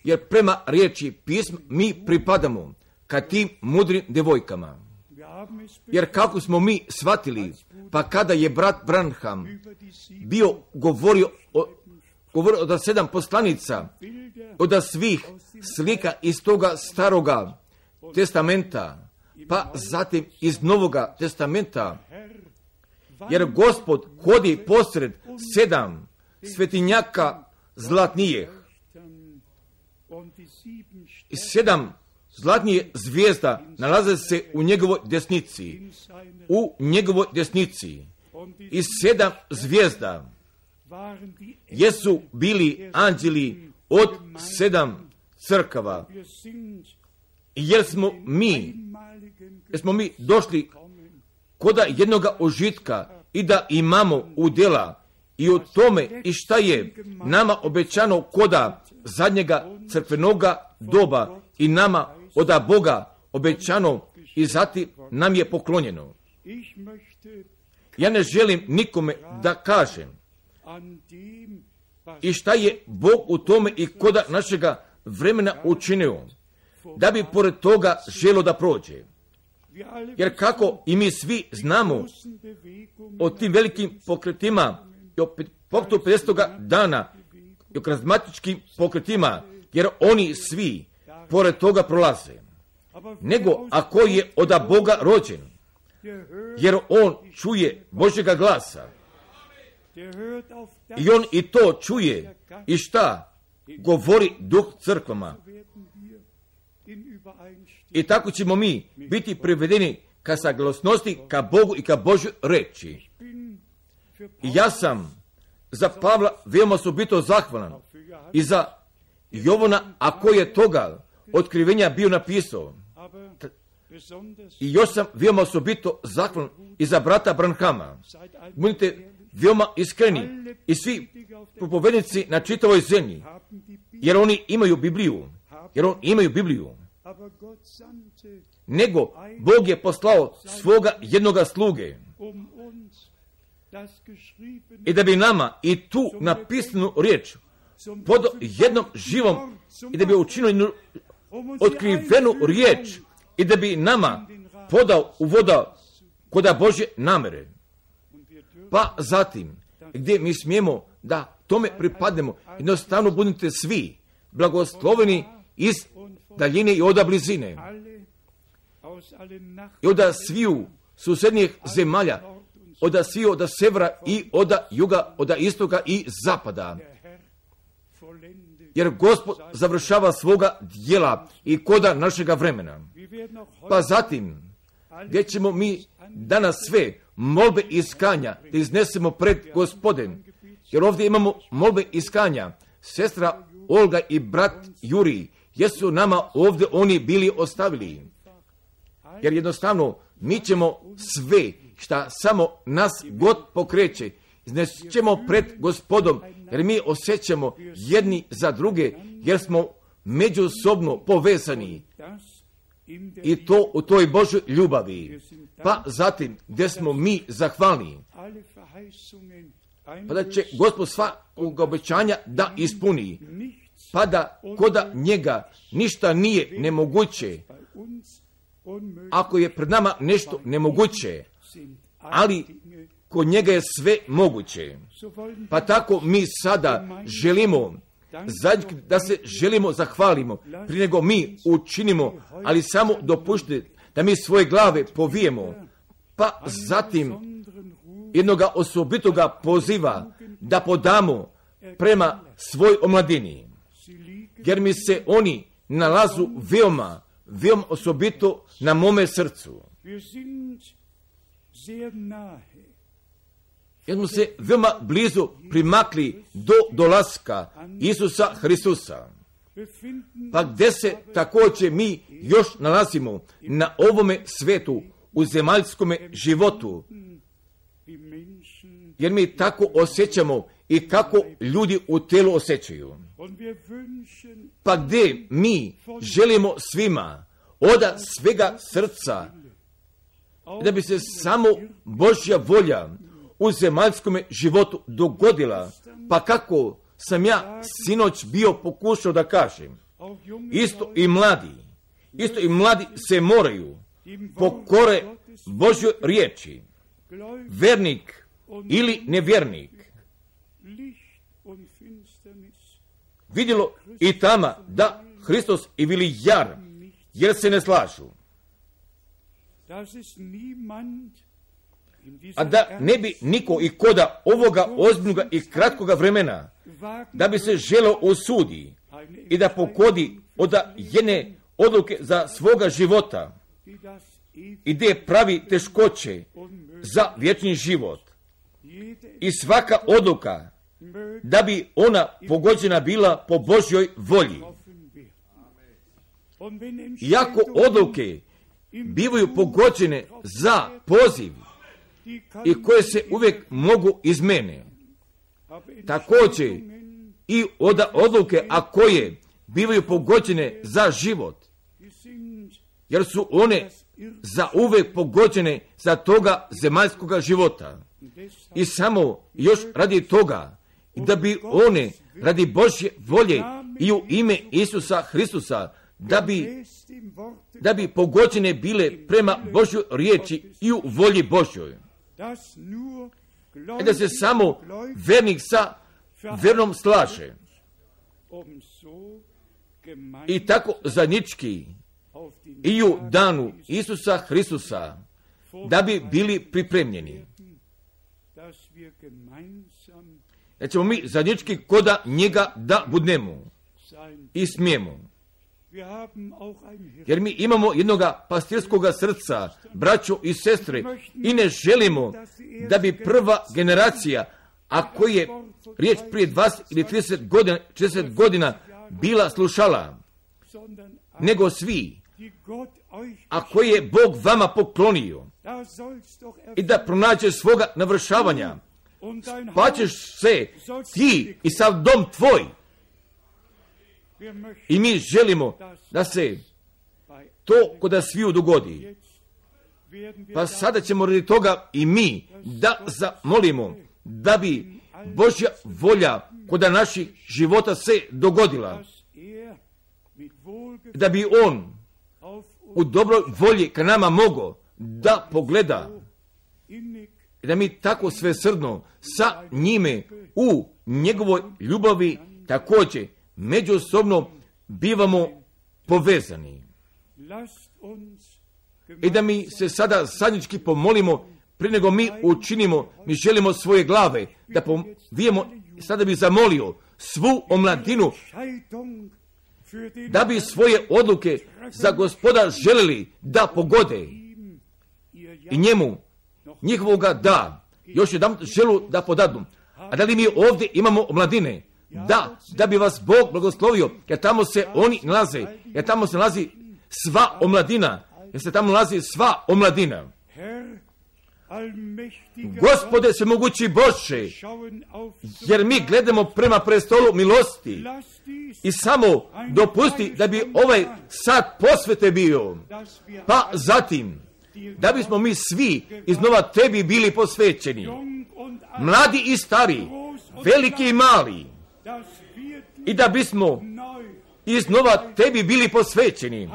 Jer prema riječi pisma mi pripadamo ka tim mudrim devojkama. Jer kako smo mi shvatili, pa kada je brat Branham bio govorio od 7 poslanica, od svih slika iz toga staroga testamenta, pa zatim iz novoga testamenta, jer Gospod hodi posred 7 svetinjaka zlatnijih i 7 zlatnije zvijezda nalaze se u njegovoj desnici. I 7 zvijezda jesu bili anđeli od 7 crkava. Jer smo mi došli koda jednoga užitka i da imamo udjela i u tome i šta je nama obećano koda zadnjega crkvenoga doba i nama od Boga obećano i zatim nam je poklonjeno. Ja ne želim nikome da kažem i šta je Bog u tome i koda našega vremena učinio, da bi pored toga želo da prođe. Jer kako i mi svi znamo o tim velikim pokretima i o pokretu 50. dana i o karizmatičkim pokretima, jer oni svi pored toga prolaze. Nego ako je od Boga rođen, jer on čuje Božjega glasa i on i to čuje i šta govori Duh crkvama. I tako ćemo mi biti privedeni ka saglasnosti, ka Bogu i ka Božjoj reči. I ja sam za Pavla veoma osobito zahvalan i za Jovana, ako je toga otkrivenja bio napisao. I još sam veoma osobito zahvalan i za brata Branhama. Budite veoma iskreni i svi propovednici na čitavoj zemlji, jer oni imaju Bibliju. Nego Bog je poslao svoga jednoga sluge i da bi nama i tu napisanu riječ pod jednom živom i da bi učinio jednu otkrivenu riječ i da bi nama podao uvoda koda Božje namere. Pa zatim, gdje mi smijemo da tome pripadnemo, jednostavno budite svi blagosloveni iz daljine i oda blizine. I oda sviju susjednijih zemalja, oda sviju oda severa i oda juga, oda istoga i zapada. Jer Gospod završava svoga djela i koda našega vremena. Pa zatim, gdje ćemo mi danas sve molbe iskanja da iznesemo pred Gospodem, jer ovdje imamo molbe iskanja. Sestra Olga i brat Juri, jesu nama ovdje oni bili ostavili. Jer jednostavno mi ćemo sve šta samo nas God pokreće, iznećemo pred Gospodom, jer mi osjećamo jedni za druge, jer smo međusobno povezani. I to u toj Božoj ljubavi. Pa zatim, gdje smo mi zahvalni, pa da će Gospod svakog obećanja da ispuni, pa da koda njega ništa nije nemoguće, ako je pred nama nešto nemoguće, ali kod njega je sve moguće. Pa tako mi sada želimo da se želimo zahvalimo, prije nego mi učinimo, ali samo dopuštite da mi svoje glave povijemo, pa zatim jednoga osobitoga poziva da podamo prema svoj omladini, jer mi se oni nalazu veoma osobito na mome srcu. Jer smo se veoma blizu primakli do dolaska Isusa Hristusa. Pa gdje se također mi još nalazimo na ovome svetu, u zemaljskome životu. Jer mi tako osjećamo i kako ljudi u telu osjećaju. Pa gdje mi želimo svima od svega srca da bi se samo Božja volja u zemaljskom životu dogodila, pa kako sam ja sinoć bio pokušao da kažem, isto i mladi se moraju pokore Božjoj riječi, vernik ili nevjernik, vidjelo i tama da Hristos i bili jar, jer se ne slažu. A da ne bi niko i koda ovoga ozbiljnoga i kratkoga vremena, da bi se želo osudi i da pokodi od jedne odluke za svoga života i gdje pravi teškoće za vječni život. I svaka odluka da bi ona pogođena bila po Božjoj volji. Iako odluke bivaju pogođene za poziv i koje se uvijek mogu izmene, također i od odluke, a koje bivaju pogođene za život, jer su one za uvijek pogođene za toga zemaljskoga života. I samo još radi toga, da bi one radi Božje volje i u ime Isusa Hristusa, da bi pogođene bile prema Božjoj riječi i u volji Božjoj. da se samo vernik sa vernom slaže. I tako zajednički i u danu Isusa Hristusa, da bi bili pripremljeni. Da ćemo mi zajednički koda njega da budemo i smijemo. Jer mi imamo jednoga pastirskoga srca, braćo i sestre, i ne želimo da bi prva generacija, a koji je riječ prije 20 ili 30 godina bila slušala, nego svi, a koji je Bog vama poklonio, i da pronađe svoga navršavanja, pa ćeš se ti i sav dom tvoj. I mi želimo da se to kod sviju dogodi. Pa sada ćemo radi toga i mi da zamolimo da bi Božja volja kod naših života se dogodila. Da bi On u dobroj volji ka nama mogao da pogleda i da mi tako svesrdno sa njime u njegovoj ljubavi također međusobno bivamo povezani. I da mi se sada zajednički pomolimo, prije nego mi učinimo, mi želimo svoje glave, da povijemo, sada bi zamolio svu omladinu, da bi svoje odluke za Gospoda želeli da pogode i njemu, njihovoga da, još jedan želu da podadnu. A da li mi ovdje imamo omladine? Da bi vas Bog blagoslovio, jer tamo se oni nalaze, jer tamo se nalazi sva omladina, Gospode svemogući Bože, jer mi gledamo prema prestolu milosti i samo dopusti da bi ovaj sat posvete bio, pa zatim da bismo mi svi iznova tebi bili posvećeni, mladi i stari, veliki i mali, i da bismo iznova tebi bili posvećeni.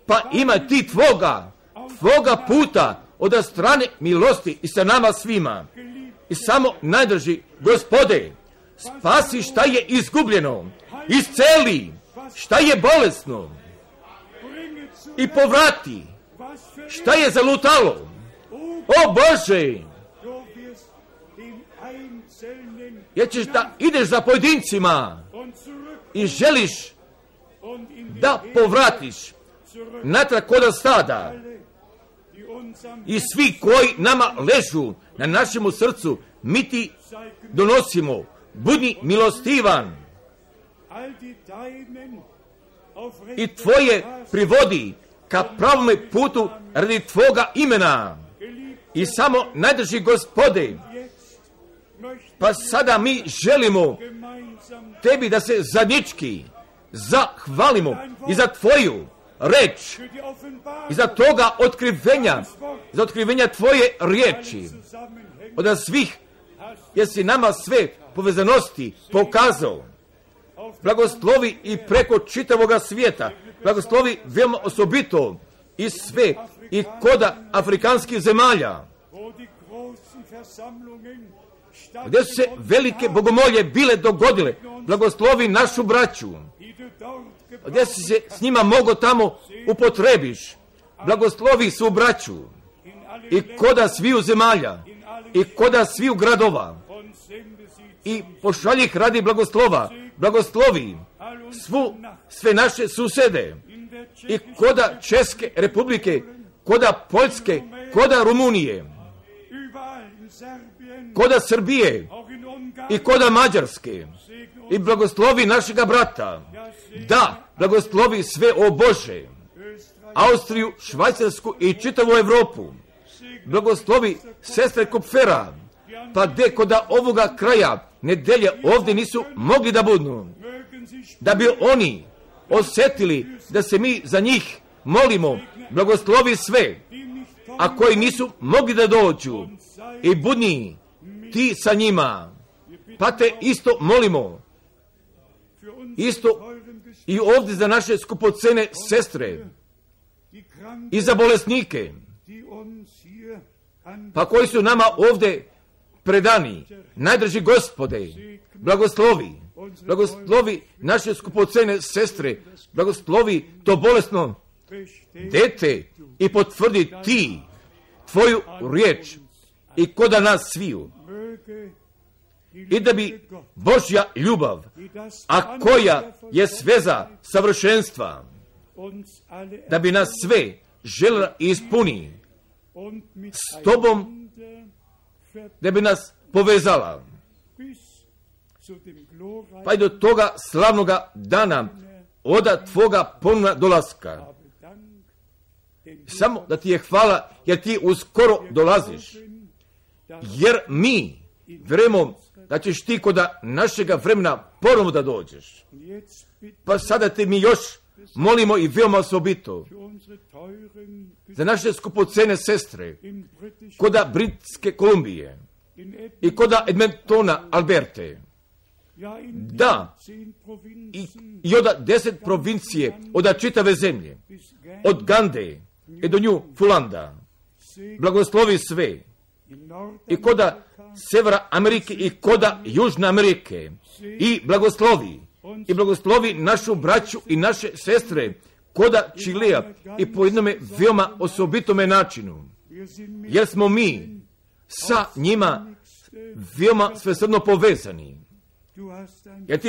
Pa ima ti tvoga puta od strane milosti i sa nama svima. I samo najdrži, Gospode, spasi šta je izgubljeno, isceli šta je bolesno i povrati šta je zalutalo. O Bože, jer ćeš da ideš za pojedincima i želiš da povratiš natrag kod stada, i svi koji nama ležu na našemu srcu, mi ti donosimo, budi milostivan i tvoje privodi ka pravome putu radi tvoga imena. I samo najdrži, Gospode, pa sada mi želimo tebi da se zajednički zahvalimo i za tvoju reč i za toga otkrivenja, za otkrivenja tvoje riječi od svih, jer si nama sve povezanosti pokazao. Blagoslovi i preko čitavoga svijeta, blagoslovi veoma osobito i sve i koda afrikanskih zemalja, gdje su se velike bogomolje bile dogodile. Blagoslovi našu braću, gdje si se s njima mogo tamo upotrebiš. Blagoslovi su braću i koda sviju zemalja i koda sviju gradova, i pošalji ih radi blagoslova. Blagoslovi sve naše susede i koda Česke republike, koda Poljske, koda Rumunije, koda Srbije i koda Mađarske, i blagoslovi našega brata. Da, blagoslovi sve, o Bože, Austriju, Švajcarsku i čitavu Evropu. Blagoslovi sestre Kupfera, pa gdje koda ovoga kraja nedelje ovdje nisu mogli da budu, da bi oni osjetili da se mi za njih molimo. Blagoslovi sve, a koji nisu mogli da dođu, i budni ti sa njima. Pa te isto molimo, isto i ovdje za naše skupocene sestre i za bolesnike pa koji su nama ovdje predani. Najdraži Gospode, blagoslovi naše skupocene sestre, blagoslovi to bolesno dete i potvrdi ti tvoju riječ i koda nas sviju. I da bi Božja ljubav, a koja je sveza savršenstva, da bi nas sve željela ispuni s tobom, da bi nas povezala, pa i do toga slavnoga dana oda tvoga ponovna dolaska. Samo da ti je hvala, jer ti uskoro dolaziš, jer mi vjerujemo da ćeš ti koda našega vremena ponovno da dođeš. Pa sada te mi još molimo i veoma osobito za naše skupocene sestre koda Britske Kolumbije i koda Edmontona, Alberte, da i od 10 provincije, od čitave zemlje, od Gande i do Newfoundlanda, blagoslovi sve i koda Severa Amerike i koda Južne Amerike i blagoslovi našu braću i naše sestre koda Čilea i po jednome veoma osobitome načinu, jer smo mi sa njima veoma svesrdno povezani, jer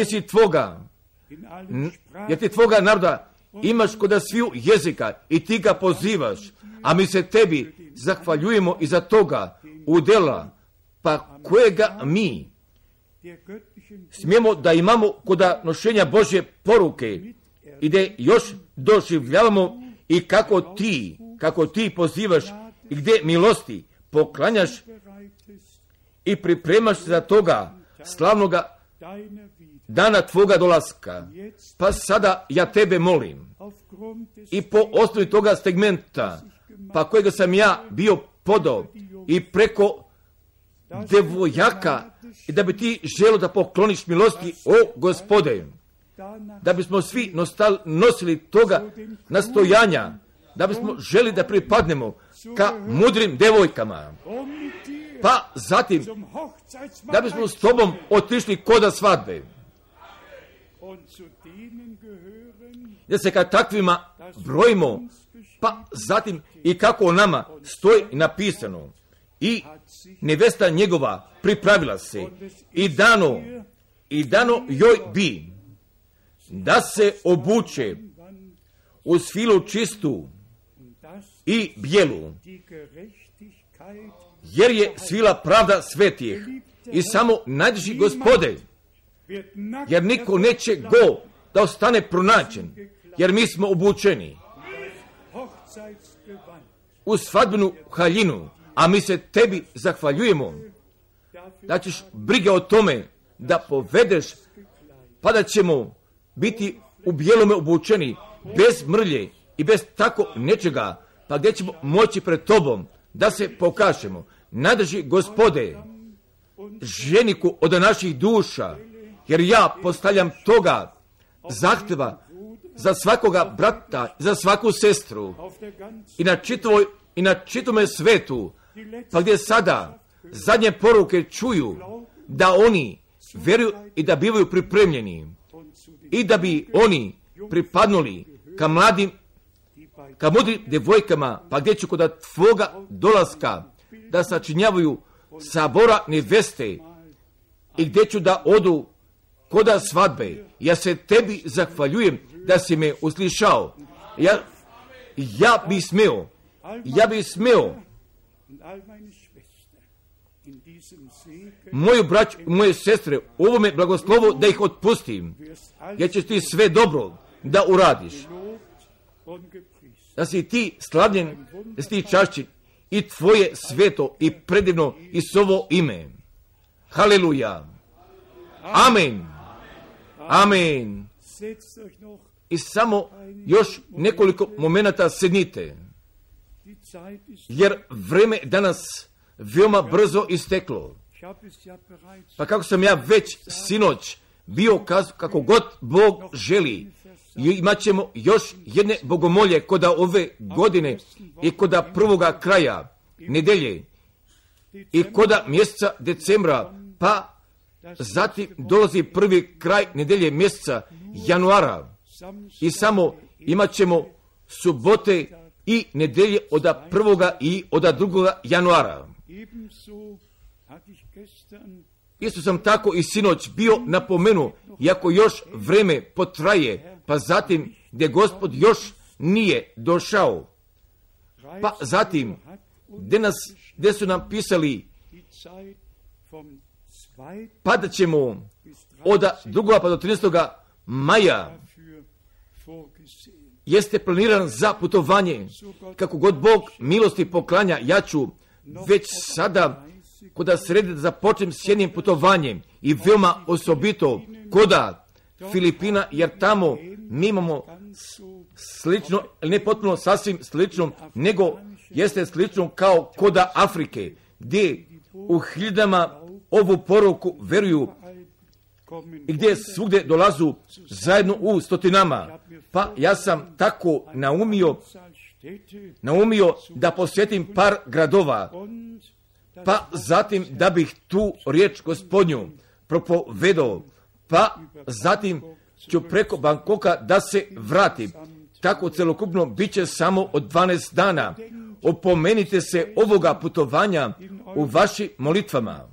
ti tvoga naroda imaš koda sviju jezika i ti ga pozivaš, a mi se tebi zahvaljujemo i za toga udjela, pa kojega mi smijemo da imamo koda nošenja Božje poruke i da još doživljavamo i kako ti pozivaš i gdje milosti poklanjaš i pripremaš za toga slavnoga dana tvoga dolaska. Pa sada ja tebe molim i po osnovi toga segmenta, pa kojega sam ja bio podao i preko devojaka, i da bi ti želio da pokloniš milosti, o Gospode, da bismo svi nosili toga nastojanja, da bismo želi da pripadnemo ka mudrim devojkama, pa zatim da bismo s tobom otišli koda svadbe, da se ka takvima brojimo, pa zatim i kako o nama stoji napisano, i nevesta njegova pripravila se i dano joj bi da se obuče u svilu čistu i bijelu, jer je svila pravda svetih i samo najdraži Gospode, jer niko neće go da ostane pronađen, jer mi smo obučeni u svadbenu haljinu, a mi se tebi zahvaljujemo da ćeš brige o tome da povedeš, pa da ćemo biti u bijelome obučeni, bez mrlje i bez tako nečega, pa gdje ćemo moći pred tobom da se pokažemo. Najdraži Gospode, ženiku od naših duša, jer ja postavljam toga zahtjeva za svakoga brata, za svaku sestru i na čitome svetu, pa gdje sada zadnje poruke čuju da oni vjeruju i da bivaju pripremljeni i da bi oni pripadnuli ka mudrim devojkama, pa gdje ću kod tvoga dolaska da sačinjavaju sabora neveste i gdje ću da odu koda svadbe. Ja se tebi zahvaljujem da si me uslišao. Ja bi smeo moju braću, moje sestre, ovome blagoslovu da ih otpustim, jer ćeš ti sve dobro da uradiš, da si ti slavljen, da si ti čašćen i tvoje sveto i predivno i sovo ime. Haleluja. Amen. Amen. I samo još nekoliko momenata sednite, jer vreme danas veoma brzo isteklo. Pa kako sam ja već sinoć bio kako god Bog želi, imat ćemo još jedne bogomolje koda ove godine i koda prvoga kraja nedelje i koda mjeseca decembra, pa zatim dolazi prvi kraj nedelje mjeseca januara i samo imat ćemo subote i nedelje od 1. i od 2. januara. Isto sam tako i sinoć bio napomenuo, iako još vreme potraje, pa zatim gdje Gospod još nije došao, pa zatim gdje su nam pisali pa da ćemo od 2. pa do 13. maja jeste planiran za putovanje. Kako god Bog milosti poklanja, ja ću već sada koda sredi da započnem s jednim putovanjem i veoma osobito koda Filipina, jer tamo mi imamo slično, ne potpuno sasvim slično, nego jeste slično kao koda Afrike, gdje u hiljadama ovu poruku veruju i gdje svugdje dolazu zajedno u stotinama. Pa ja sam tako naumio da posjetim par gradova, pa zatim da bih tu riječ Gospodnju propovedao, pa zatim ću preko Bangkoka da se vratim. Tako celokupno bit će samo od 12 dana. Opomenite se ovoga putovanja u vašim molitvama.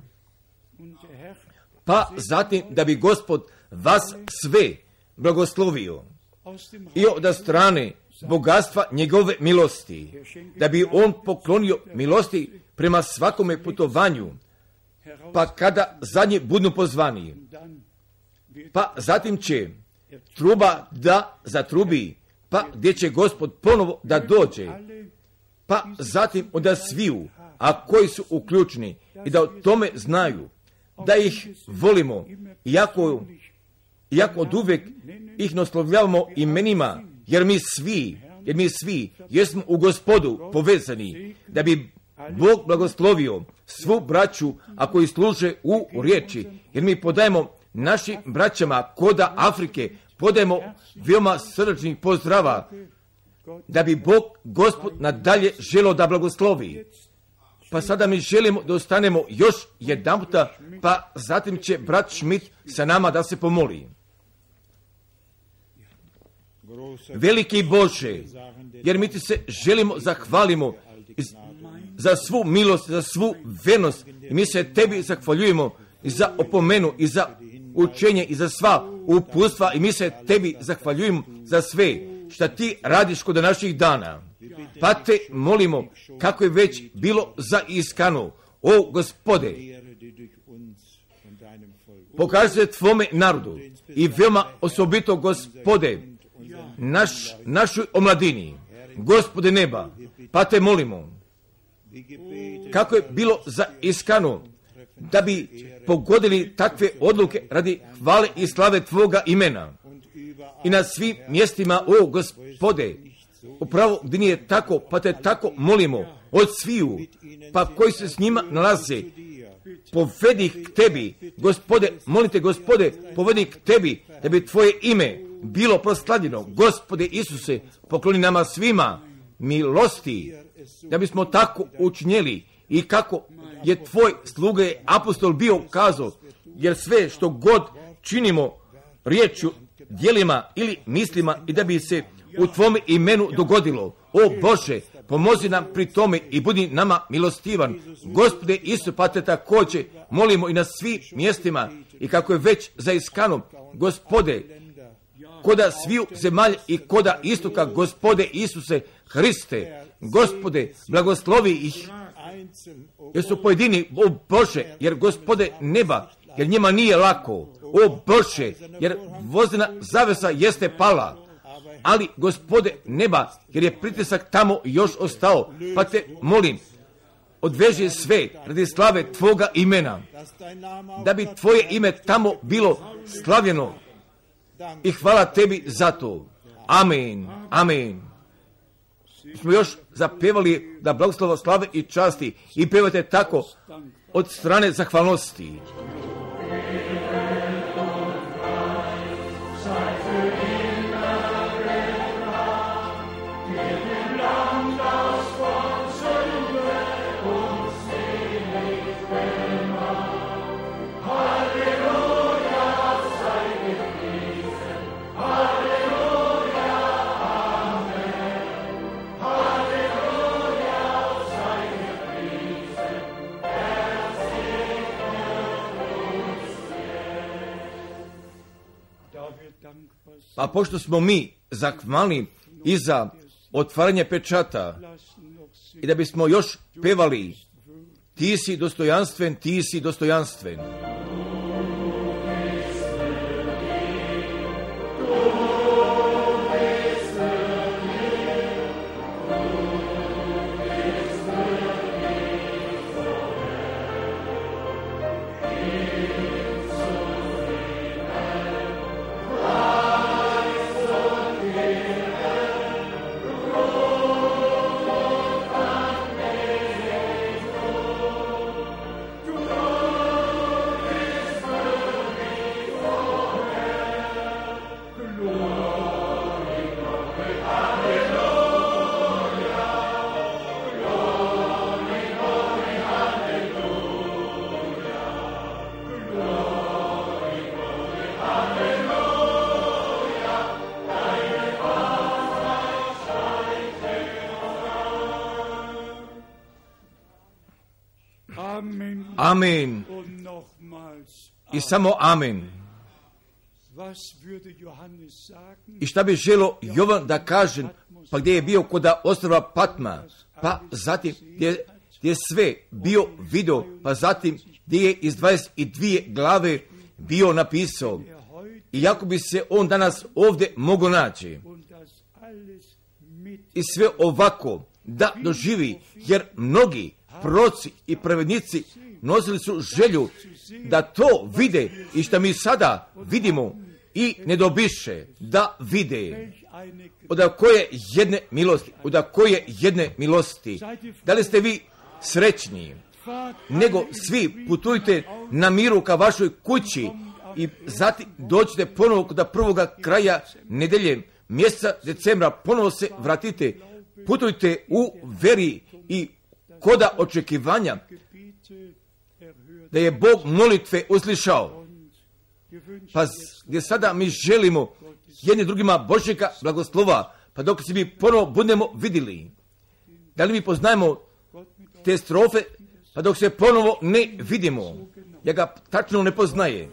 Pa zatim da bi Gospod vas sve blagoslovio i od strane bogatstva njegove milosti, da bi on poklonio milosti prema svakome putovanju, pa kada zadnji budu pozvani, pa zatim će truba da zatrubi, pa gdje će Gospod ponovo da dođe, pa zatim onda sviju, a koji su uključeni i da o tome znaju, da ih volimo, iako od uvijek ih naslovljavamo imenima, jer mi svi jesmo u Gospodu povezani, da bi Bog blagoslovio svu braću, a koji služe u riječi, jer mi podajemo našim braćama koda Afrike, podajemo veoma srdačnih pozdrava, da bi Bog Gospod nadalje želio da blagoslovi. Pa sada mi želimo da ostanemo još jedan puta, pa zatim će brat Schmidt sa nama da se pomoli. Veliki Bože, jer mi ti se želimo zahvalimo za svu milost, za svu vernost, i mi se tebi zahvaljujemo i za opomenu i za učenje i za sva uputstva, i mi se tebi zahvaljujemo za sve što ti radiš kod naših dana. Pa te molimo, kako je već bilo zaiskano, o Gospode, pokaži se tvome narodu i veoma osobito, Gospode, našoj omladini, Gospode neba, pa te molimo, kako je bilo zaiskano, da bi pogodili takve odluke radi hvale i slave tvoga imena i na svim mjestima, o Gospode, upravo gdje nije tako, pa te tako molimo od sviju, pa koji se s njima nalaze, povedi ih k tebi, Gospode, molite Gospode, povedi k tebi, da bi tvoje ime bilo proslavljeno. Gospode Isuse, pokloni nama svima milosti, da bismo tako učinjeli i kako je tvoj sluga apostol bio kazao, jer sve što god činimo riječju, djelima ili mislima, i da bi se u tvome imenu dogodilo. O Bože, pomozi nam pri tome i budi nama milostivan. Gospode Isu, pa te također molimo i na svim mjestima, i kako je već zaiskano, Gospode, koda sviju zemalja i koda istoka, Gospode Isuse Hriste, Gospode, blagoslovi ih, jer su pojedini, o Bože, jer Gospode neba, jer njima nije lako, o Bože, jer vozdena zavesa jeste pala, ali Gospode neba, jer je pritisak tamo još ostao, pa te molim, odveži sve radi slave tvoga imena, da bi tvoje ime tamo bilo slavljeno, i hvala tebi za to. Amen, amen. Smo još zapevali da blagoslova slave i časti, i pevate tako od strane zahvalnosti. Pa pošto smo mi zahvalni i za otvaranje pečata i da bismo još pevali ti si dostojanstven, ti si dostojanstven. Amen. I samo amen. I šta bi želo Jovan da kaže, pa gdje je bio kod ostrva Patma, pa zatim gdje je sve bio video, pa zatim gdje je iz 22 glave bio napisao. I jako bi se on danas ovdje mogao naći. I sve ovako da doživi, jer mnogi proroci i pravednici nosili su želju da to vide i što mi sada vidimo i ne dobiše da vide. Od koje jedne milosti. Da li ste vi srećni? Nego svi putujte na miru ka vašoj kući i zatim dođite ponovo kod prvoga kraja nedelje mjeseca decembra, ponovo se vratite, putujte u veri i koda očekivanja da je Bog molitve uslišao. Pa gdje sada mi želimo jedni drugima Božjega blagoslova, pa dok se mi ponovo budemo vidjeli. Da li mi poznajemo te strofe, pa dok se ponovo ne vidimo, ja ga tačno ne poznaje.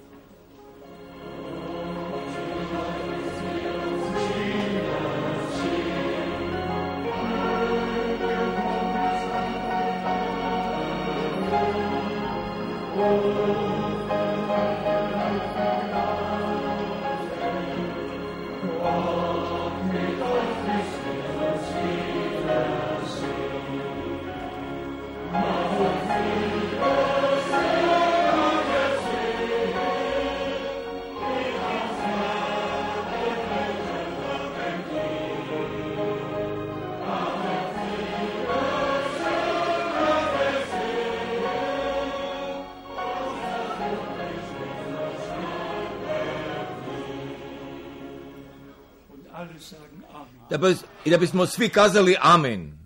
I da bismo svi kazali amen.